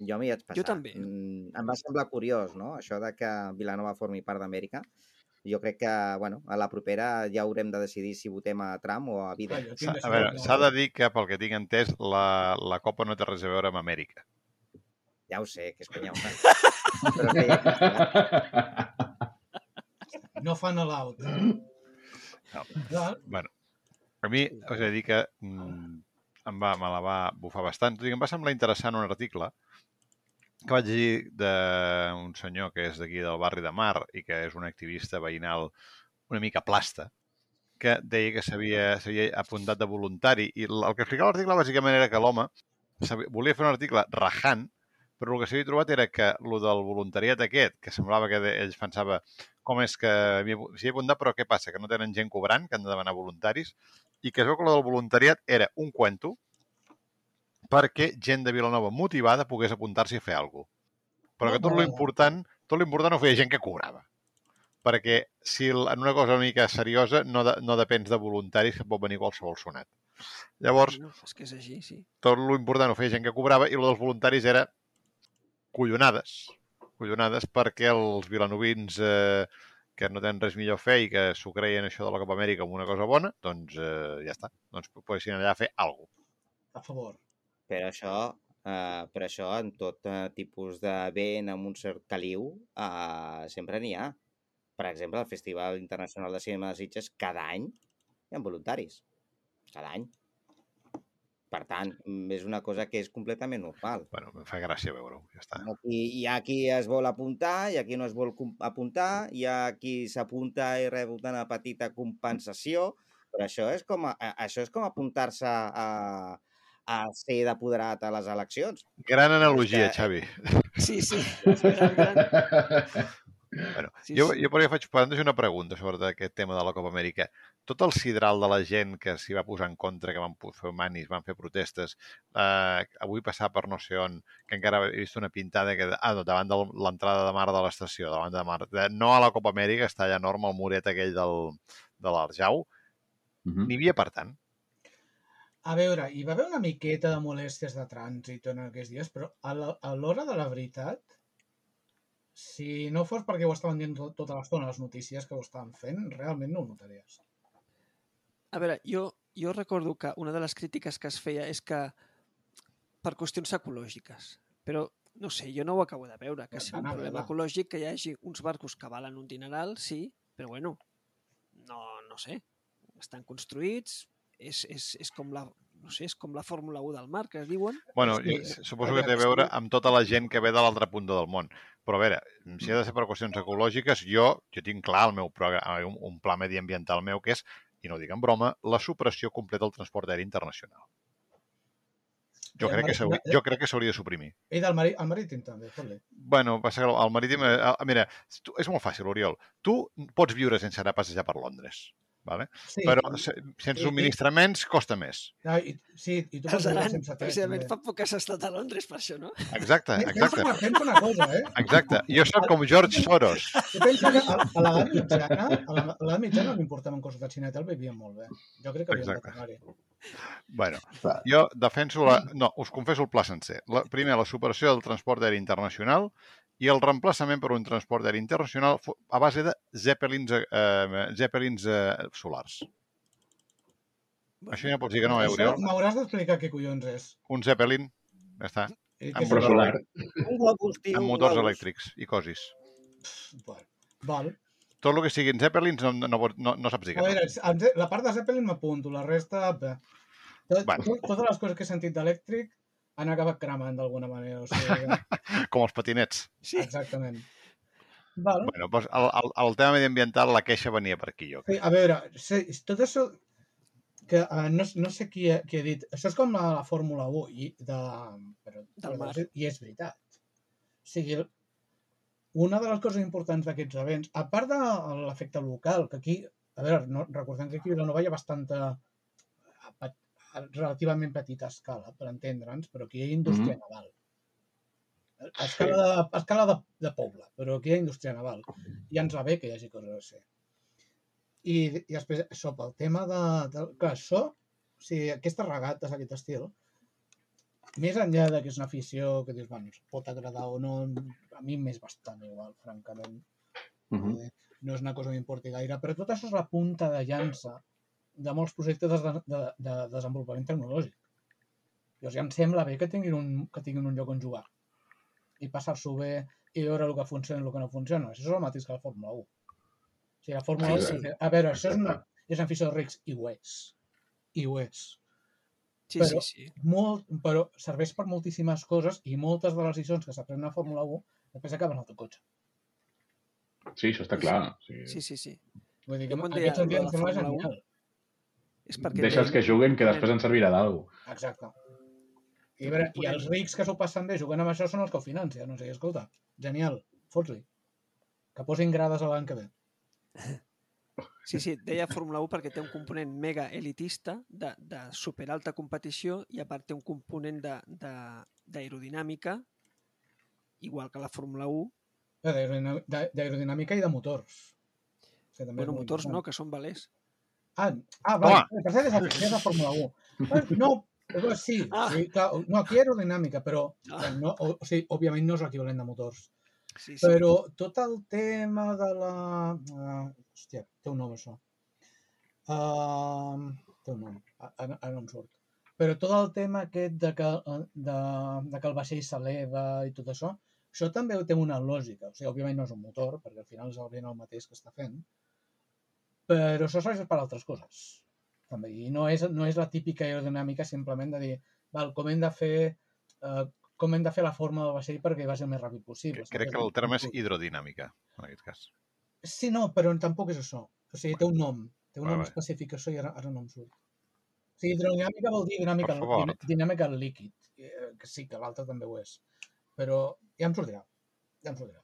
Jo m'hi vaig passar. Jo també. Mm, em va semblar curiós, no?, això de que Vilanova formi part d'Amèrica. Jo crec que, bueno, a la propera ja haurem de decidir si votem a Trump o a Ah, Biden. jo S'ha- tinc A veure, decisió, s'ha no? de dir que, pel que tinc entès, la, la Copa no té res a veure amb Amèrica. Ja ho sé, que és conya. Però que ja... No fan l'out. No. No, Bueno, a mi us he de dir que mm, em va, me la va bufar bastant. Tot i que em va semblar interessant un article que vaig llegir d'un senyor que és d'aquí del barri de Mar i que és un activista veïnal una mica plasta, que deia que s'havia s'havia apuntat de voluntari i el que explicava l'article bàsicament era que l'home s'havia- volia fer un article rajant, però el que s'havia trobat era que el del voluntariat aquest, que semblava que de- ells pensava com és que m'hi- s'hi ha apuntat, però què passa? Que no tenen gent cobrant, que han de demanar voluntaris, i que es veu que el del voluntariat era un cuento perquè gent de Vilanova motivada pogués apuntar-s'hi a fer alguna cosa. Però que tot No. l'important, tot l'important ho feia gent que cobrava. Perquè si el- en una cosa una mica seriosa no, de, no depens de voluntaris que pot venir qualsevol sonat. Llavors, No, és que és així, sí. tot l'important ho feia gent que cobrava i el dels voluntaris era collonades. Collonades perquè els vilanovins eh, que no tenen res millor a fer i que s'ho creien això de la Copa Amèrica com una cosa bona, doncs eh, ja està. Doncs poguessin allà a fer alguna cosa. a favor. Però això, eh, però això en tot eh, tipus d'event amb un cert caliu, eh, sempre n'hi ha. Per exemple, al Festival Internacional de Cinema de Sitges, cada any hi ha voluntaris. Cada any. Per tant, mm, és una cosa que és completament normal. Bueno, em fa gràcia veure-ho, ja està. Aquí, hi ha qui es vol apuntar, hi ha qui no es vol com- apuntar, hi ha qui s'apunta i rep una petita compensació, però això és com, a, a- això és com apuntar-se a, a ser d'apoderat a les eleccions. Gran analogia, És que- Xavi. Sí, sí. Gran, gran. Bueno, Sí, jo, sí. jo per això faig plantejar una pregunta sobre aquest tema de la Copa Amèrica. Tot el sidral de la gent que s'hi va posar en contra, que van pu- fer manis, van fer protestes, eh, avui passar per no sé on, que encara he vist una pintada que, ah, no, davant de l'entrada de mar de l'estació, davant de mar, de, no a la Copa Amèrica, està allà enorme el muret aquell del, de l'Arjau, Mhm. n'hi havia per tant. A veure, hi va haver una miqueta de molèsties de trànsit en aquests dies, però a la- a l'hora de la veritat, si no fos perquè ho estaven dient tot, tota l'estona les notícies que ho estaven fent, realment no ho notaries. A veure, jo, jo recordo que una de les crítiques que es feia és que per qüestions ecològiques, però no sé, jo no ho acabo de veure, que sigui un Anava, problema va. ecològic que hi hagi uns barcos que valen un dineral, sí, però bueno, no, no sé, estan construïts, és, és, és com la no sé, és com la Fórmula u del mar, que es diuen. Bueno, Sí, jo suposo a que té a veure, veure sí. amb tota la gent que ve de l'altre punt del món. Però a veure, si ha de ser per qüestions ecològiques, jo, jo tinc clar el meu programa, un, un pla mediambiental meu que és, i no ho dic en broma, la supressió completa del transport aeri internacional. Jo I el crec que mari- s'hauria jo crec que s'hauria de suprimir. I del mari, el marítim també, fot-li. Bueno, passa que el marítim... eh, ah, Mira, tu, és molt fàcil, Oriol. Tu pots viure sense anar a passejar per Londres, vale? Sí, Però se, sense sí. subministraments costa més. Ah, i, sí, i tu Els pots viure Aran, sense tres. precisament, també. fa poc que has estat a Londres per això, no? Exacte, Pensa exacte. una, pensa una cosa, eh? Exacte. Jo soc com George Soros. Tu pensa que a, a l'edat mitjana, a la- a l'edat mitjana no importaven coses de xineta, el vivien molt bé. Jo crec que hauríem de Exacte. tornar-hi. Bueno, Clar. jo defenso la... No, us confesso el pla sencer. La, primer, la superació del transport aeri internacional i el reemplaçament per un transport aeri internacional fo- a base de zeppelins, eh, zeppelins eh, solars. Això ja pots dir que no, eh, Això Oriol? m'hauràs d'explicar què collons és. Un Zeppelin, ja està, I Amb què Però és? solar. Un globus, tio, amb un motors globus. elèctrics i cosis. Bueno, val. Tot el que siguin Zeppelins no, no, pots- no, no saps dir A que no. veure, el Ze- la part de Zeppelin m'apunto, la resta... bé. Tot, Bueno. tot, totes les coses que he sentit d'elèctric han acabat cremant d'alguna manera. O sigui, Com els patinets. Sí. exactament. Val. Bueno, doncs el, el, el tema mediambiental, la queixa venia per aquí, jo Sí, crec. a veure, sí, tot això que uh, no, no sé qui ha, qui ha dit, això és com la, la Fórmula u i de, però, Del mar. i és veritat. O sigui, una de les coses importants d'aquests events, a part de l'efecte local, que aquí, a veure, no, recordem que aquí a Vilanova hi ha bastanta, a, a, a relativament petita escala, per entendre'ns, però aquí hi ha indústria Mhm. naval. A escala, de, a escala de, de poble, però aquí hi ha indústria naval. I ens va bé que hi hagi coses així. I, i després, això, pel tema de... de clar, això, o sigui, aquestes regates, aquest estil, més enllà de que és una afició que dius, bueno, ens pot agradar o no, a mi m'és bastant igual, francament. Mhm. Eh, no és una cosa que m'importi gaire, però tot això és la punta de llança de molts projectes de, de, de desenvolupament tecnològic. Llavors ja em sembla bé que tinguin un, que tinguin un lloc on jugar i passar-s'ho bé i veure el que funciona i el que no funciona. Això és el mateix que la Fórmula u. O sigui, la Fórmula Sí, u... sí. A veure, això és una, Exacte. és una afició de rics i ho és. I ho és. Sí, Però- sí, sí. Molt, però serveix per moltíssimes coses i moltes de les decisions que s'aprenen a la Fórmula u després acaben al teu cotxe. Sí, això està clar. O sigui, Sí, sí, sí. Vull dir que Jo quan en deia aquest sentit lo de em la sembla Fórmula u, genial. És perquè Deixa'ls té que un juguen, que component- després ens servirà d'algú. Exacte. I, a veure, I els rics que s'ho passen bé jugant amb això són els que ho financen. No sé, escolta, genial, fots-li. Que posin grades a l'any que ve. Sí, sí, deia Fórmula u perquè té un component mega elitista de, de superalta competició i a part té un component de- de- d'aerodinàmica igual que la Fórmula u. Eh, d'aerodinà- d'a- D'aerodinàmica i de motors. Sí, també és Bueno, molt motors important. no, que són velers. Ah, ah vale. Home! Per cert, és la, és la Fórmula u. Eh, No, però sí, Ah. sí clar, no, aquí aerodinàmica, però Ah. no, o, o sigui, òbviament no és l'equivalent de motors. Sí, sí. Però tot el tema de la... Uh, hòstia, té un nom això. Uh, té un nom, ara, ara no em surt. Però tot el tema aquest de que, de, de que el vaixell s'eleva i tot això, això també té una lògica. O sigui, òbviament no és un motor, perquè al final és el vent el mateix que està fent, però això serveix per altres coses. També. I no és, no és la típica aerodinàmica simplement de dir, val, com hem de fer... Uh, com hem de fer la forma del vaixell perquè vagi el més ràpid possible. Crec que el terme és hidrodinàmica, en aquest cas. Sí, no, però tampoc és això. O sigui, té un nom. Té un Vale, nom vale. específic, això i ara, ara no em surt. O sigui, hidrodinàmica vol dir dinàmica, Per favor. dinà- dinàmica líquid. Eh, Que sí, que l'altre també ho és. Però ja em sortirà. Ja em sortirà.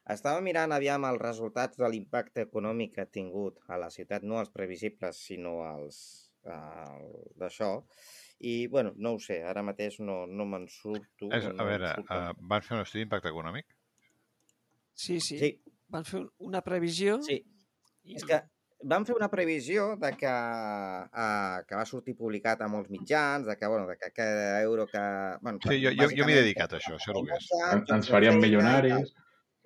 Estava mirant aviam els resultats de l'impacte econòmic que ha tingut a la ciutat, no els previsibles, sinó els el, d'això. I, bueno, no ho sé, ara mateix no, no me'n surto. És, no a em veure, surto. uh, van fer un estudi d'impacte econòmic? Sí, sí. Sí, Van fer un- una previsió sí. i És que van fer una previsió de que, uh, que va sortir publicat a molts mitjans, de que, bueno, de que cada euro que... Bueno, Sí, jo, jo, jo m'he dedicat a això, sé el que és. En- Ens farien milionaris.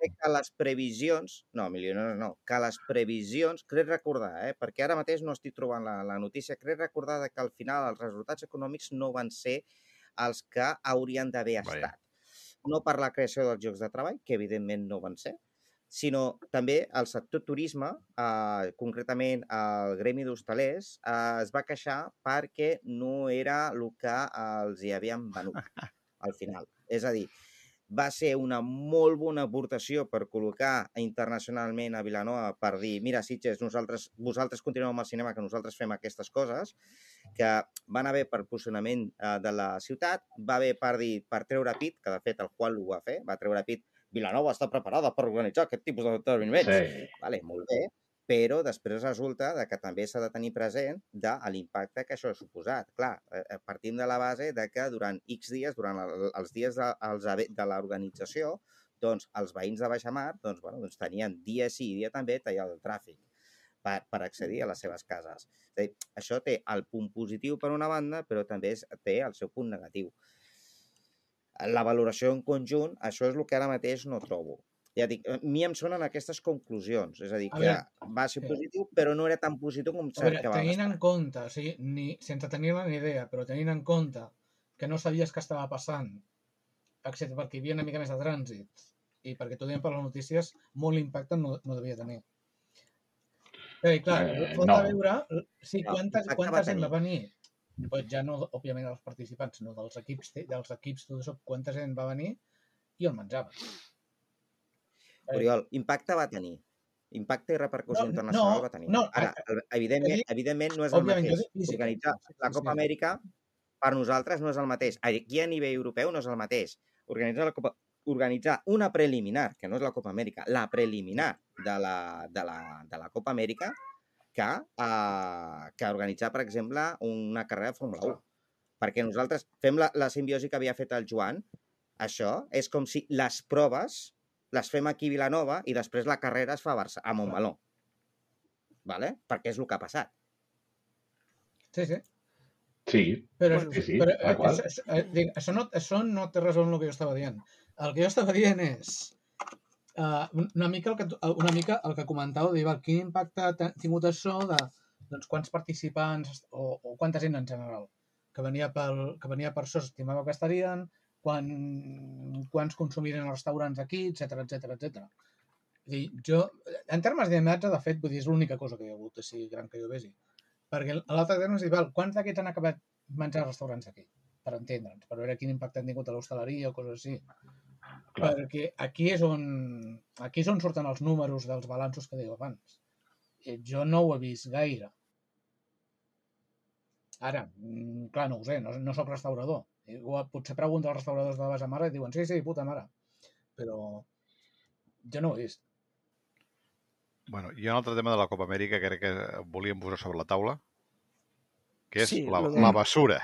Crec que les previsions... No, milionaris no. Que les previsions... Crec recordar, eh? Perquè ara mateix no estic trobant la, la notícia. Crec recordar de que al final els resultats econòmics no van ser els que haurien d'haver Vaja. estat. No per la creació dels llocs de treball, que evidentment no van ser, sinó també el sector turisme, eh, concretament el gremi d'hostalers, eh, es va queixar perquè no era el que els hi havien venut al final. És a dir, va ser una molt bona aportació per col·locar internacionalment a Vilanova per dir, mira, Sitges, nosaltres, vosaltres continueu amb el cinema, que nosaltres fem aquestes coses, que van haver per posicionament eh, de la ciutat, va haver per dir, per treure pit, que de fet el Juan ho va fer, va treure pit, Vilanova està preparada per organitzar aquest tipus d'esdeveniments. Sí. Vale, molt bé, però després resulta de que també s'ha de tenir present de l'impacte que això ha suposat. Clar, eh, partim de la base de que durant X dies, durant el, els dies de, els, de l'organització, doncs els veïns de Baixamar doncs, bueno, doncs tenien dia sí i dia també tallat el tràfic per, per accedir a les seves cases. És a dir, això té el punt positiu per una banda, però també és, té el seu punt negatiu. La valoració en conjunt, això és el que ara mateix no trobo. Ja dic, a mi em sonen aquestes conclusions. És a dir, A que veure, va ser sí. positiu, però no era tan positiu com A veure, que vam tenint en esperar. compte, o sigui, ni, sense tenir-ne ni idea, però tenint en compte que no sabies què estava passant, excepte perquè hi havia una mica més de trànsit, i perquè t'ho deien per les notícies, molt impacte no, no devia tenir. Bé, clar, Eh, falta no. veure sí, No, quanta, impacte quanta va gent tenir. va venir, pues ja no, òbviament, dels participants, sinó dels equips, dels equips, tot això, quanta gent va venir i on menjava. Eh, Oriol, impacte va tenir. Impacte i repercussió no, internacional no, va tenir. no, Ara, a- a- evidentment, jo dic- evidentment no és el òbviament, jo mateix. dic física. Organitzar Sí, la sí, Copa sí. Amèrica per nosaltres no és el mateix. Aquí a nivell europeu no és el mateix. Organitzar la Copa organitzar una preliminar, que no és la Copa Amèrica, la preliminar de la, de la, de la Copa Amèrica, que, uh, que organitzar, per exemple, una carrera de Fórmula u. Perquè nosaltres fem la, la simbiosi que havia fet el Joan. Això és com si les proves les fem aquí a Vilanova i després la carrera es fa a, Barça, a Montmeló. Vale? Perquè és el que ha passat. Sí, sí. Sí, Però, Bueno, sí, sí, però tal eh, qual. això, això, eh, dic, això, no, això no té res amb el que jo estava dient. El que jo estava dient és uh, una, mica el que, tu- una mica el que comentàveu, dir, val, quin impacte ha tingut això de doncs, quants participants o, o quanta gent en general que venia, pel, que venia per això, s'estimava que estarien, quan, quants consumirien els restaurants aquí, etcètera, etcètera, etcètera. És dir, jo, en termes d'imatge, de fet, vull dir, és l'única cosa que hi ha hagut així gran que jo vegi. Perquè l'altre terme és dir, val, quants d'aquests han acabat menjar als restaurants aquí? Per entendre'ns, per veure quin impacte han tingut a l'hostaleria o coses així. Clar. Perquè aquí és on aquí és on surten els números dels balanços que dèieu abans. Eh, Jo no ho he vist gaire. Ara, mm, clar, no ho sé, no, no sóc restaurador. Igual, potser pregunto als restauradors de la base mare i diuen, sí, sí, puta mare. Però jo no ho he vist. Bueno, hi ha un altre tema de la Copa Amèrica que crec que volíem posar sobre la taula, que és Sí, la, lo de- la basura.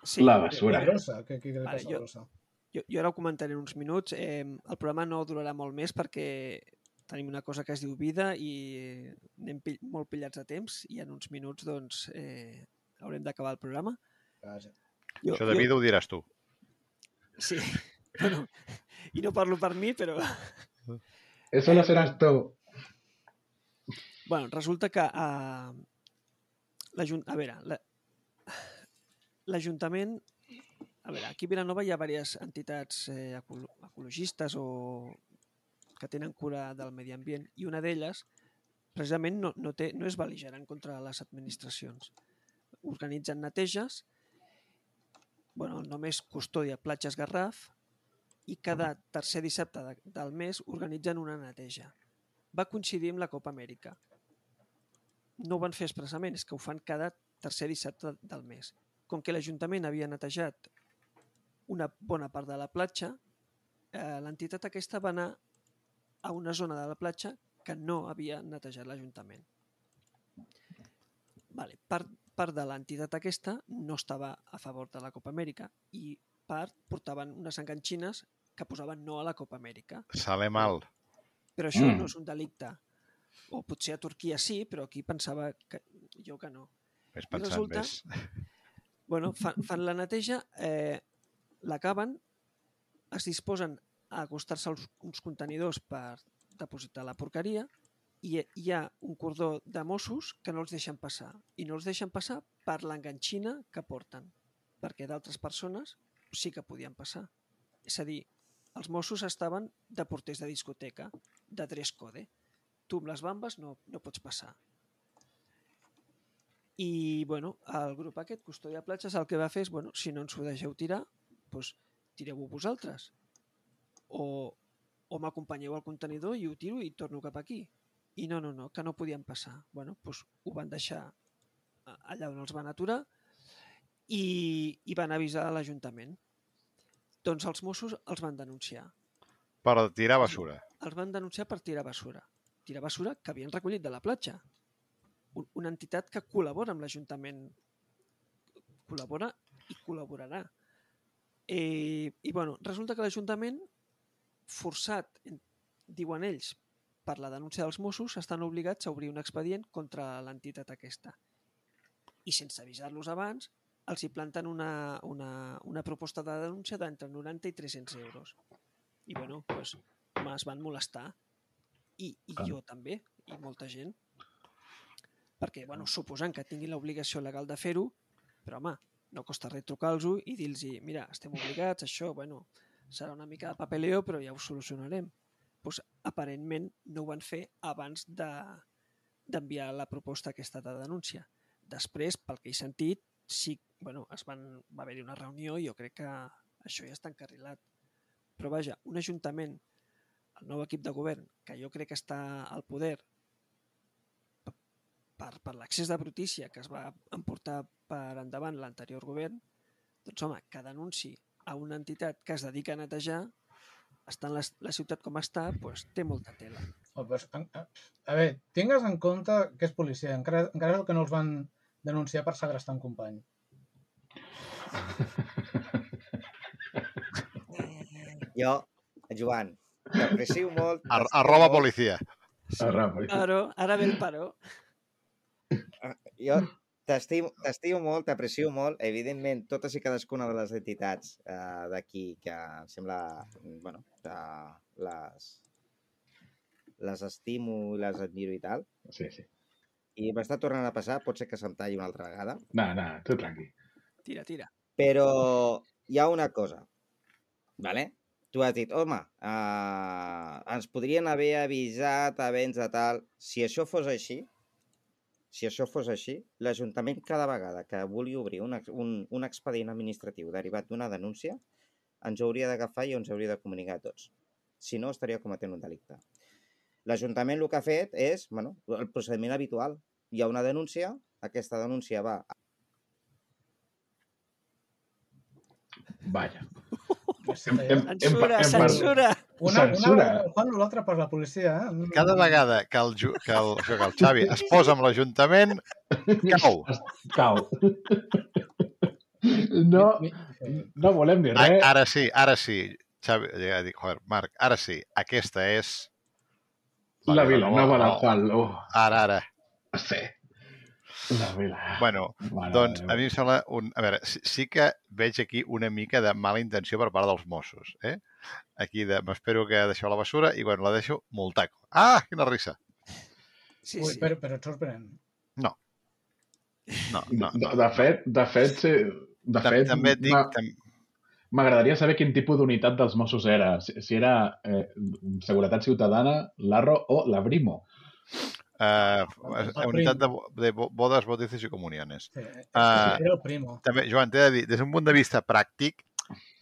sí. La La basura. grossa, què, què li Vale, passa a jo- la grossa? Jo, jo ara ho comentaré en uns minuts. Eh, el programa no durarà molt més perquè tenim una cosa que es diu vida i anem pill molt pillats de temps i en uns minuts doncs, eh, haurem d'acabar el programa. Vaja. Jo, Això de vida ho diràs tu. Sí, bueno, i no parlo per mi, però... Eso lo serás tú. Bueno, resulta que uh, l'Ajuntament... A veure, la- l'Ajuntament... A veure, aquí a Vilanova hi ha diverses entitats eh, ecolo ecologistes o que tenen cura del medi ambient i una d'elles precisament no, no, té, no és bel·ligerant contra les administracions. Organitzen neteges, bueno, el nom és Custòdia Platges Garraf i cada tercer dissabte de, del mes organitzen una neteja. Va coincidir amb la Copa Amèrica. No ho van fer expressament, és que ho fan cada tercer dissabte del mes. Com que l'Ajuntament havia netejat una bona part de la platja, eh, l'entitat aquesta va anar a una zona de la platja que no havia netejat l'Ajuntament. Vale, part, part de l'entitat aquesta no estava a favor de la Copa Amèrica i part portaven unes enganxines que posaven no a la Copa Amèrica. Sale mal. Però això Mm. no és un delicte. O potser a Turquia sí, però aquí pensava que jo que no. Ves I pensant resulta, més. bueno, fan, fan la neteja, eh, l'acaben, es disposen a acostar-se als uns contenidors per depositar la porqueria i hi ha un cordó de Mossos que no els deixen passar. I no els deixen passar per l'enganxina que porten, perquè d'altres persones sí que podien passar. És a dir, els Mossos estaven de porters de discoteca, de dress code. Tu amb les bambes no, no pots passar. I, bueno, el grup aquest, Custòdia Platges, el que va fer és, bueno, si no ens ho deixeu tirar, doncs tireu-ho vosaltres. O, o m'acompanyeu al contenidor i ho tiro i torno cap aquí. I no, no, no, que no podien passar. Bueno, doncs ho van deixar allà on els van aturar i, i van avisar a l'Ajuntament. Doncs els Mossos els van denunciar. Per tirar basura. Els van denunciar per tirar basura. Tirar basura que havien recollit de la platja. Una entitat que col·labora amb l'Ajuntament. Col·labora i col·laborarà. I, i bueno, resulta que l'Ajuntament, forçat, diuen ells, per la denúncia dels Mossos, estan obligats a obrir un expedient contra l'entitat aquesta. I sense avisar-los abans, els hi planten una, una, una proposta de denúncia d'entre noranta i tres-cents euros. I bueno, doncs, home, es van molestar. I, i Ah. jo també, i molta gent. Perquè, bueno, suposant que tinguin l'obligació legal de fer-ho, però, home, no costa res trucar-los i dir-los, mira, estem obligats, això, bueno, serà una mica de papeleo, però ja ho solucionarem. Doncs, aparentment, no ho van fer abans de, d'enviar la proposta aquesta de denúncia. Després, pel que he sentit, sí, bueno, es van, va haver-hi una reunió i jo crec que això ja està encarrilat. Però vaja, un ajuntament, el nou equip de govern, que jo crec que està al poder per, per l'accés de brutícia que es va emportar per endavant l'anterior govern, doncs home, que denunci a una entitat que es dedica a netejar, estant la, la ciutat com està, doncs té molta tela. Oh, pues, a, a, a veure, tingues en compte que és policia, encara, encara que no els van denunciar per segrestar un company. Jo, Joan, t'aprecio molt. Ar arroba policia. Sí, Arroba. però, ara ve el paró. Jo t'estimo t'estimo molt, t'aprecio molt. Evidentment, totes i cadascuna de les entitats eh, d'aquí que em sembla, bueno, que les, les estimo i les admiro i tal. Sí, sí. I m'està tornant a passar, pot ser que se'm talli una altra vegada. No, no, tu tranqui. Tira, tira. Però hi ha una cosa, vale? Tu has dit, home, eh, ens podrien haver avisat abans de tal. Si això fos així, si això fos així, l'Ajuntament cada vegada que vulgui obrir un, un, un expedient administratiu derivat d'una denúncia, ens hauria d'agafar i ens hauria de comunicar a tots. Si no, estaria cometent un delicte. L'Ajuntament el que ha fet és, bueno, el procediment habitual. Hi ha una denúncia, aquesta denúncia va... Vaja. Hem, hem, Censura, hem, censura! Una, Censura. una pel Juan, l'altra per la policia. Eh? Cada vegada que el, Ju- que el, que el Xavi es posa amb l'Ajuntament, cau. Cau. No, no volem dir A- res. Ara sí, ara sí. Xavi, ja dic, joder, Marc, ara sí. Aquesta és... La Vilanova del no. Juan. Oh, Ara, ara. sí. La Vila. Bueno, Mare doncs de a mi em sembla... Un... A veure, sí, sí que veig aquí una mica de mala intenció per part dels Mossos. Eh? Aquí de... m'espero que deixeu la bessura i, bueno, la deixo multaco. Ah, quina risa. Sí, Ui, sí. però, però et sorprèn. No. No, no, De, no. de fet, de fet, sí, de Tam- fet, També et dic... m'a- Tam... m'agradaria saber quin tipus d'unitat dels Mossos era. Si, si era eh, Seguretat Ciutadana, l'Arro o la Brimo. Uh, El unitat de, prim. de bo- bodes, bautizos i comuniones. Sí, Ah. era el primo. També, Joan, t'he de dir, des d'un punt de vista pràctic,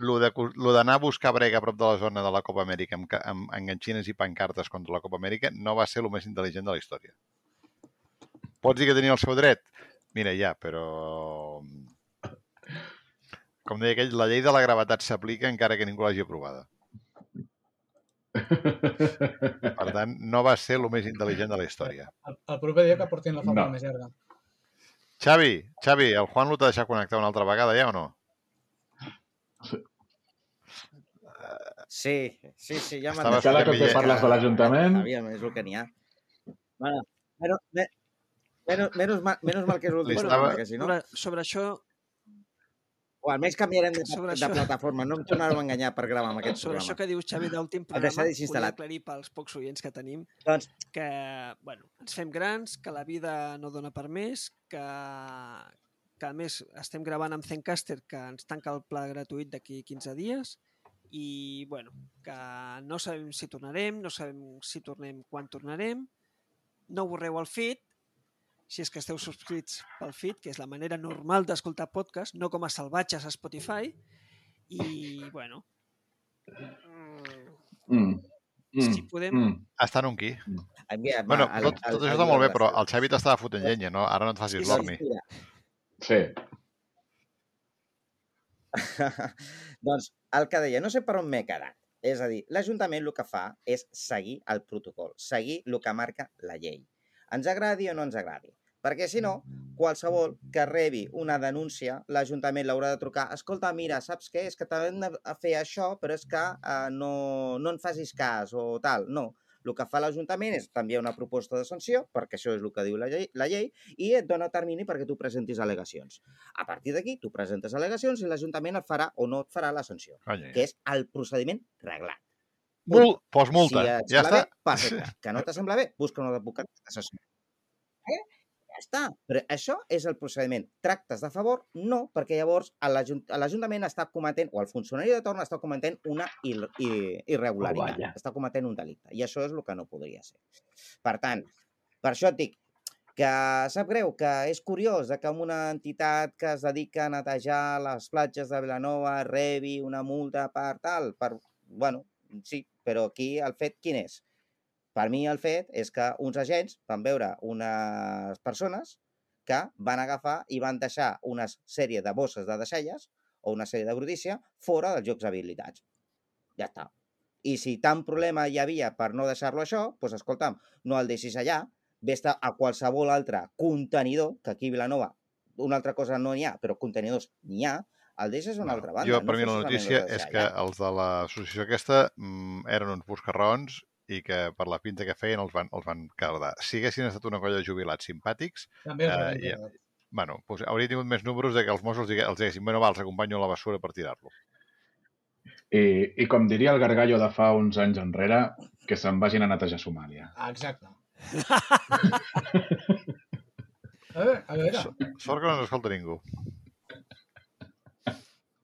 lo de- lo d'anar a buscar brega a prop de la zona de la Copa Amèrica amb, ca- amb enganxines i pancartes contra la Copa Amèrica no va ser el més intel·ligent de la història. Pots dir que tenia el seu dret? Mira, ja, però... Com deia aquell, la llei de la gravetat s'aplica encara que ningú l'hagi aprovada. Per tant, no va ser el més intel·ligent de la història. El, el proper dia que portin la falda No. més llarga. Xavi, Xavi, el Juan l'ho t'ha deixat connectar una altra vegada ja o no? Sí, sí, sí, ja m'han Estava Cada cop que Millena. parles de l'Ajuntament... Aviam, és el que n'hi ha. Bueno, menos, me, menos, menos, mal, menos mal que és l'últim Li programa, estava- que si no... Sobre, sobre això, O almenys canviarem de, Sobre de això- plataforma. No em tornareu a enganyar per gravar amb aquest sobre això programa. que dius, Xavi, d'últim El programa, deixar volia desinstal·lat. aclarir pels pocs oients que tenim Doncs, que, bueno, ens fem grans, que la vida no dona per més, que, que a més estem gravant amb Zencaster, que ens tanca el pla gratuït d'aquí quinze dies, i, bueno, que no sabem si tornarem, no sabem si tornem quan tornarem, no borreu el feed, si és que esteu subscrits pel feed, que és la manera normal d'escoltar podcast, no com a salvatges a Spotify, i, bueno, mm, Mm. Mm. si podem... Mm. Estan un qui? envia, Bueno, va, el- tot, el- tot això el està molt bé, guió però de el Xavi t'estava fotent llenya, no? Ara no et facis Sí, sí. l'orni. Mira, Sí. doncs el que deia, no sé per on m'he quedat. És a dir, l'Ajuntament el que fa és seguir el protocol, seguir el que marca la llei. Ens agradi o no ens agradi. Perquè, si no, qualsevol que rebi una denúncia, l'Ajuntament l'haurà de trucar. Escolta, mira, saps què? És que t'hem de fer això, però és que eh, no, no en facis cas o tal. No. El que fa l'Ajuntament és t'enviar una proposta de sanció, perquè això és el que diu la llei, la llei, i et dona termini perquè tu presentis al·legacions. A partir d'aquí, tu presentes al·legacions i l'Ajuntament et farà o no et farà la sanció, Conya, que és el procediment reglat. Mul, pos multa. Si et Ja sembla està. bé, perfecte. Que no t'assembla bé, busca un advocat que t'assessori. Eh? Ja està. Però això és el procediment. Tractes de favor? No, perquè llavors l'Ajuntament està cometent, o el funcionari de torn està cometent una ir ir irregularitat. Oh, està cometent un delicte. I això és el que no podria ser. Per tant, per això et dic que sap greu, que és curiós que una entitat que es dedica a netejar les platges de Vilanova rebi una multa per tal, per... Bueno, sí, però aquí el fet quin és? Per mi el fet és que uns agents van veure unes persones que van agafar i van deixar una sèrie de bosses de deixalles o una sèrie de brutícia fora dels llocs habilitats. Ja està. I si tant problema hi havia per no deixar-lo això, doncs escolta'm, no el deixis allà, vés-te a qualsevol altre contenidor, que aquí a Vilanova una altra cosa no n'hi ha, però contenidors n'hi ha, el deixes a una altra banda. Jo, no per mi, la fos notícia solament és deixar que allà. els de l'associació aquesta mm, eren uns buscarrons i que per la pinta que feien els van, els van cardar. Si haguessin estat una colla de jubilats simpàtics, També els Eh, rebenten ja. tot. bueno, doncs hauria tingut més números de que els Mossos digue- els diguessin, bueno, va, els acompanyo a la bessura per tirar-lo. I, I com diria el Gargallo de fa uns anys enrere, que se'n vagin a netejar Somàlia. Ah, exacte. A veure, a veure. So- Sort que no ens escolta ningú.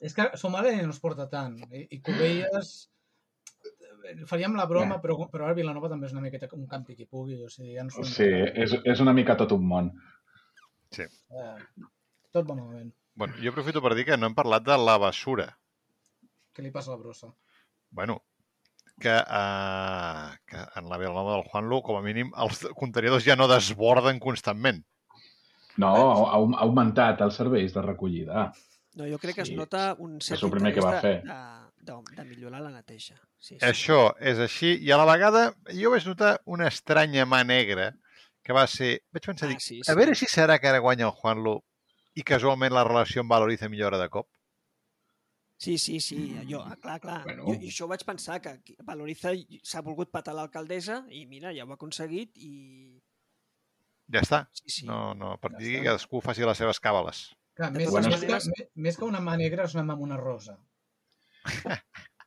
És que Somàlia no es porta tant. I, i Cubelles... Faríem la broma, però, però ara Vilanova també és una miqueta un campi qui pugui. O sigui, ja no són... Sí, és, és una mica tot un món. Eh, tot va malament. Bueno, jo aprofito per dir que no hem parlat de la bessura. Què li passa a la brossa? Bueno, que, uh, que en la Vilanova del Juanlu, com a mínim, els contenidors ja no desborden constantment. No, ha, ha augmentat els serveis de recollida. No, jo crec que es Sí, nota un cert és el primer que interès va de, fer. de, de, de millorar la neteja. Sí, sí. Això és així, i a la vegada jo vaig notar una estranya mà negra que va ser... Vaig pensar, Ah, dic, sí, a sí. veure si serà que ara guanya el Juanlu i casualment la relació amb Valoriza millora de cop. Sí, sí, sí, jo, ah, clar, clar. Bueno. Jo, I això vaig pensar, que aquí Valoriza s'ha volgut patar l'alcaldessa i mira, ja ho ha aconseguit i... Ja està. Sí, sí. No, no, a partir Ja d'aquí està. cadascú faci les seves càbales. Clar, De més, totes més, maneres- que, més que una mà negra és una mà amb una rosa.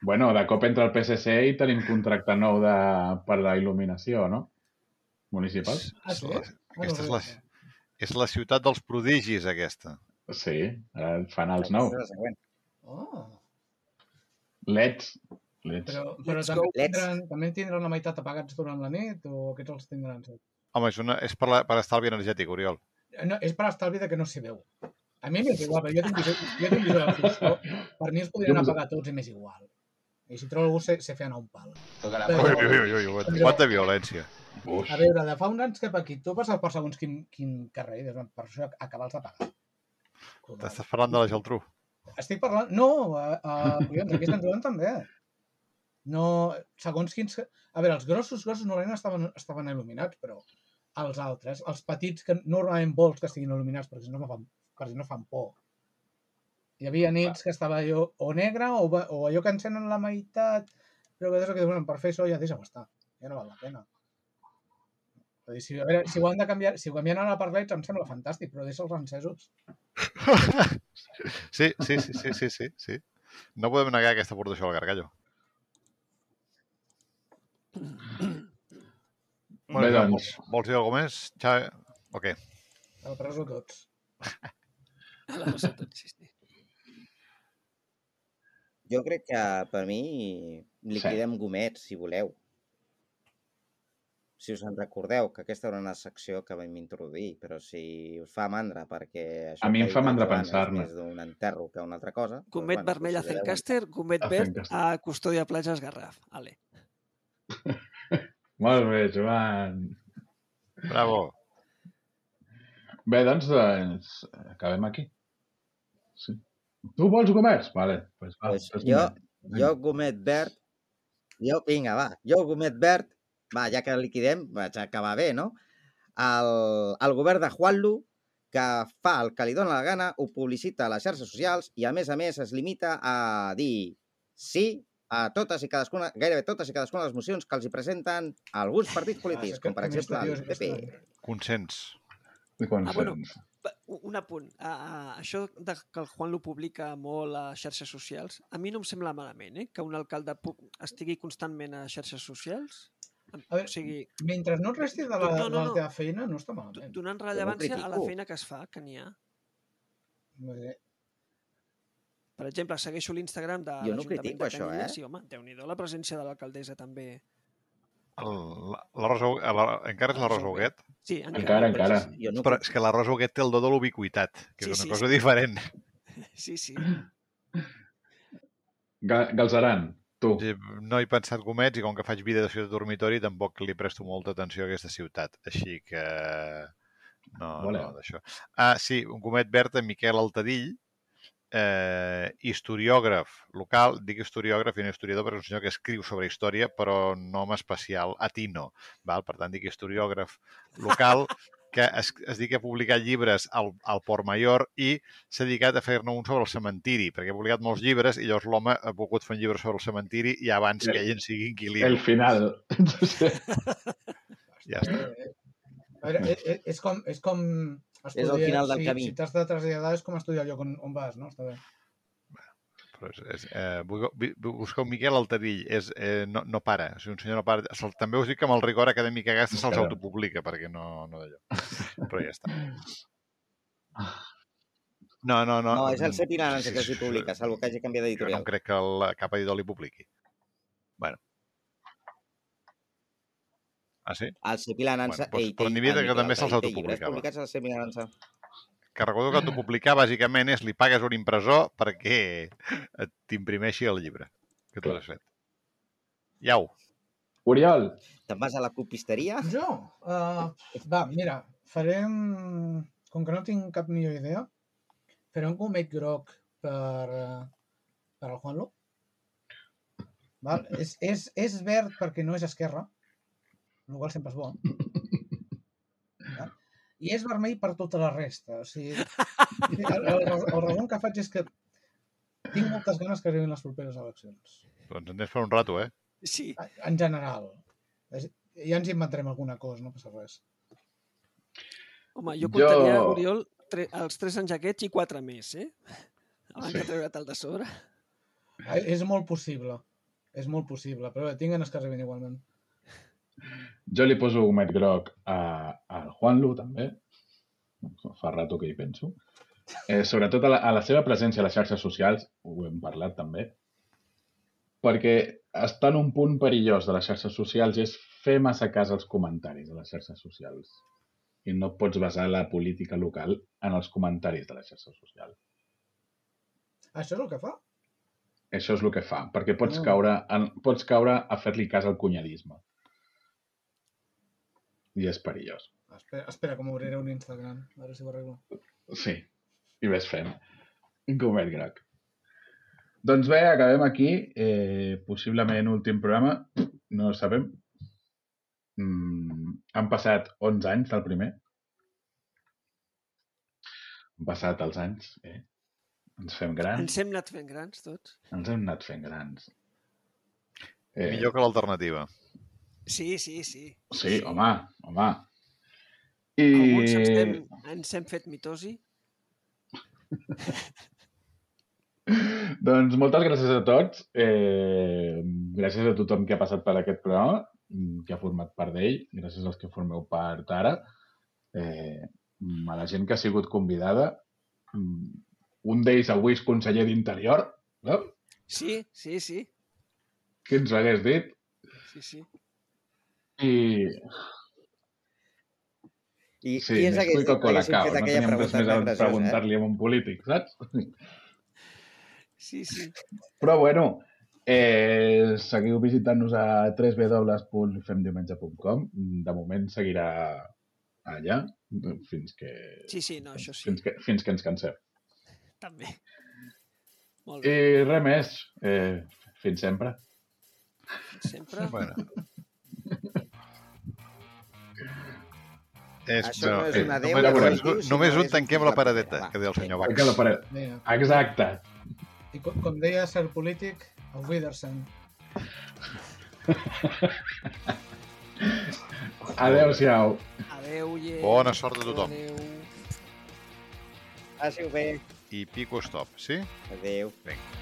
Bueno, de cop entra el P S C i tenim contracte nou de, per la il·luminació, no? Municipal? Ah, sí? La- Ah, no Aquesta és ho la, sé. és la ciutat dels prodigis, aquesta. Sí, ara fan els nous. Aquesta és la següent. Oh, Leds. Leds. però, però Let's també, go. tindran, també tindran la meitat apagats durant la nit o aquests els tindran? Home, és, una, és per, la, per estalvi energètic, Oriol. No, és per estalvi de que no s'hi veu. A mi m'és igual, però jo tinc visió, jo tinc visió de foscor. Per mi els podrien Jo us- apagar tots i m'és igual. I si trobo algú se, se feien a un pal. Toca la Però- Ui, ui, ui, ui, ui, quanta violència. Uf. A veure, de fa uns anys cap aquí, tu passes per segons quin, quin carrer i dius, per això acabals de pagar. T'estàs parlant de la Geltrú. Estic parlant... No, a, a, collons, aquí a Sant Joan també. No, segons quins... A veure, els grossos, grossos normalment estaven, estaven il·luminats, però els altres, els petits, que normalment vols que estiguin il·luminats perquè si no, no fan, perquè si no fan por. Hi havia nits que estava allò o negre o, va- o allò que encenen la meitat, però que, que diuen, per fer això ja deixa-ho estar, ja no val la pena. Vull dir, si, a veure, si ho han de canviar, si ho canvien ara per leds em sembla fantàstic, però deixa'ls encesos. Sí, sí, sí, sí, sí, sí, sí. No podem negar aquesta aportació al Gargallo. Bueno, Bé, Joan, doncs. vols dir alguna més? Ja... O què? A la presó tots. A la base tot, sí, sí. Jo crec que per mi liquidem gomets, si voleu. Si us en recordeu, que aquesta era una secció que vam introduir, però si us fa mandra perquè això A mi em que ha fa dit el mandra Joan pensar-ne. És més d'un enterro que una altra cosa. doncs, Gomet bueno, vermell a considereu-ho. Zencaster, gomet A verd Zencaster. a Custòdia Platges Garraf. Ale. Molt bé, Joan. Bravo. Bé, doncs, doncs acabem aquí. Sí. Tu vols comerç? Vale. Pues, va, Pues fes jo, gomet. jo gomet verd, jo, vinga, va, jo gomet verd, va, ja que liquidem, vaig acabar bé, no? El, el govern de Juanlu, que fa el que li dóna la gana, ho publicita a les xarxes socials i, a més a més, es limita a dir sí a totes i cadascuna, gairebé totes i cadascuna de les mocions que els hi presenten alguns partits polítics, com per exemple el P P. Consens. I quan Ah, bueno. sents? un apunt. A, a, això de que el Juan lo publica molt a xarxes socials, a mi no em sembla malament, eh? Que un alcalde estigui constantment a xarxes socials. A veure, o sigui, mentre no et resti de la, no, no, de la no. teva feina, no està malament. Donant rellevància a la feina que es fa, que n'hi ha. Per exemple, segueixo l'Instagram de jo no l'Ajuntament critico de això, Canyelles eh? i, home, Déu-n'hi-do la presència de l'alcaldessa també. El, la, la Rosa, la, encara és la Rosa Huguet? Sí, Encara, encara. Jo no Però és que la Rosa Huguet té el do de l'ubiquitat, que Sí, és una sí, cosa sí. diferent. Sí, sí. Ga- Galzeran, tu. Sí, no he pensat gomets i com que faig vida de ciutat dormitori tampoc li presto molta atenció a aquesta ciutat. Així que... No, Vale. no, d'això. Ah, sí, un gomet verd en Miquel Altadill, eh, historiògraf local, dic historiògraf i no historiador perquè és un senyor que escriu sobre història però nom especial atino, val? Per tant dic historiògraf local que es, es dedica a publicar llibres al, al Port Mayor i s'ha dedicat a fer-ne un sobre el cementiri, perquè ha publicat molts llibres i llavors l'home ha volgut fer un llibre sobre el cementiri i abans El- que ell en sigui inquilí. El final. Ja està. A veure, és, és com... És, com estudiar, És al final del si, camí. Si t'has de traslladar és com estudiar el lloc on, on vas, no? Està bé. Però és, és, eh, busqueu Miquel Altadill, és, eh, no, no para, o sigui, un senyor no para. Se'l- també us dic que amb el rigor acadèmic que gasta se'ls Caram. autopublica, perquè no, no d'allò. Però ja està. No, no, no. No, és el Sepi Naranjo Sí, que sí, s'hi publica, sí. salvo que hagi canviat Jo no d'editorial. em crec que el, cap editor li publiqui. Bueno. Ah, sí? El Sepi Naranjo... Bueno, doncs, però n'hi havia que també se'ls autopublicava. Llibres publicats al Sepi Naranjo. Que recordo que autopublicar bàsicament és li pagues un impressor perquè et t'imprimeixi el llibre que tu has fet. Iau. Oriol, Te'n vas a la copisteria? Jo? Uh, va, mira, farem... Com que no tinc cap millor idea, farem un gomet groc per, uh, per al Juanlo. Val? És, és, és verd perquè no és esquerra, el qual sempre és bo. Val? I és vermell per tota la resta. O sigui, el, el, el resum que faig és que tinc moltes ganes que arribin les properes eleccions. Doncs en tens per un rato, eh? Sí. En general. Ja ens inventarem alguna cosa, no passa res. Home, jo Jo- comptaria, jo... Oriol, tre els tres anys aquests i quatre més, eh? Abans Sí. de treure't el de sobre. Eh, És molt possible. És molt possible, però bé, tinc ganes que arribin igualment. jo li poso gomet groc a, al Juanlu, també. Fa rato que hi penso. Eh, sobretot a la, a la seva presència a les xarxes socials, ho hem parlat també, perquè està en un punt perillós de les xarxes socials i és fer massa cas als comentaris de les xarxes socials. I no pots basar la política local en els comentaris de les xarxes socials. Això és el que fa? Això és el que fa, perquè pots, Mm. caure, en, pots caure a fer-li cas al cunyadisme. I és perillós. Espera, espera que m'obriré un Instagram. A veure si ho arreglo. Sí, i ves fent. Gomet groc. Doncs bé, acabem aquí. Eh, possiblement últim programa. No ho sabem. Mm, han passat onze anys del primer. Han passat els anys. Eh? Ens fem grans. Ens hem anat fent grans, tots. Ens hem anat fent grans. Eh, Millor que l'alternativa. Sí, sí, sí. Sí, home, home. I... Alguns ens hem, ens hem fet mitosi. Doncs moltes gràcies a tots. Eh, gràcies a tothom que ha passat per aquest programa, que ha format part d'ell. Gràcies als que formeu part ara. Eh, a la gent que ha sigut convidada. Un d'ells avui és conseller d'Interior. No? Sí, sí, sí. Qui ens ho hagués dit? Sí, sí. I... I Sí, qui ens més hagués dit que Coca-Cola haguéssim Cao. fet No aquella teníem res pregunta més a tan graciosa, eh? preguntar-li a un polític, saps? Sí, sí. Però bueno, eh, seguiu visitant-nos a w w w punt femdiumenge punt com. De moment seguirà allà fins que, Sí, sí, no, això sí. fins que, fins que ens cansem. També. Molt bé. I res més. Eh, fins sempre. Sempre. Bueno. És, Això no és eh, un adéu, només- ja només- ho diu, si només no un és tanquem fins la paradeta, propera, que deia el va. senyor Perquè la Bax. paret. Vinga. Exacte. I com, com deia cert polític, el Widersen. Adéu-siau. Adéu, gent. Bona sort a tothom. Adéu. Passi-ho bé. I pico stop, sí? Adéu. Vinga.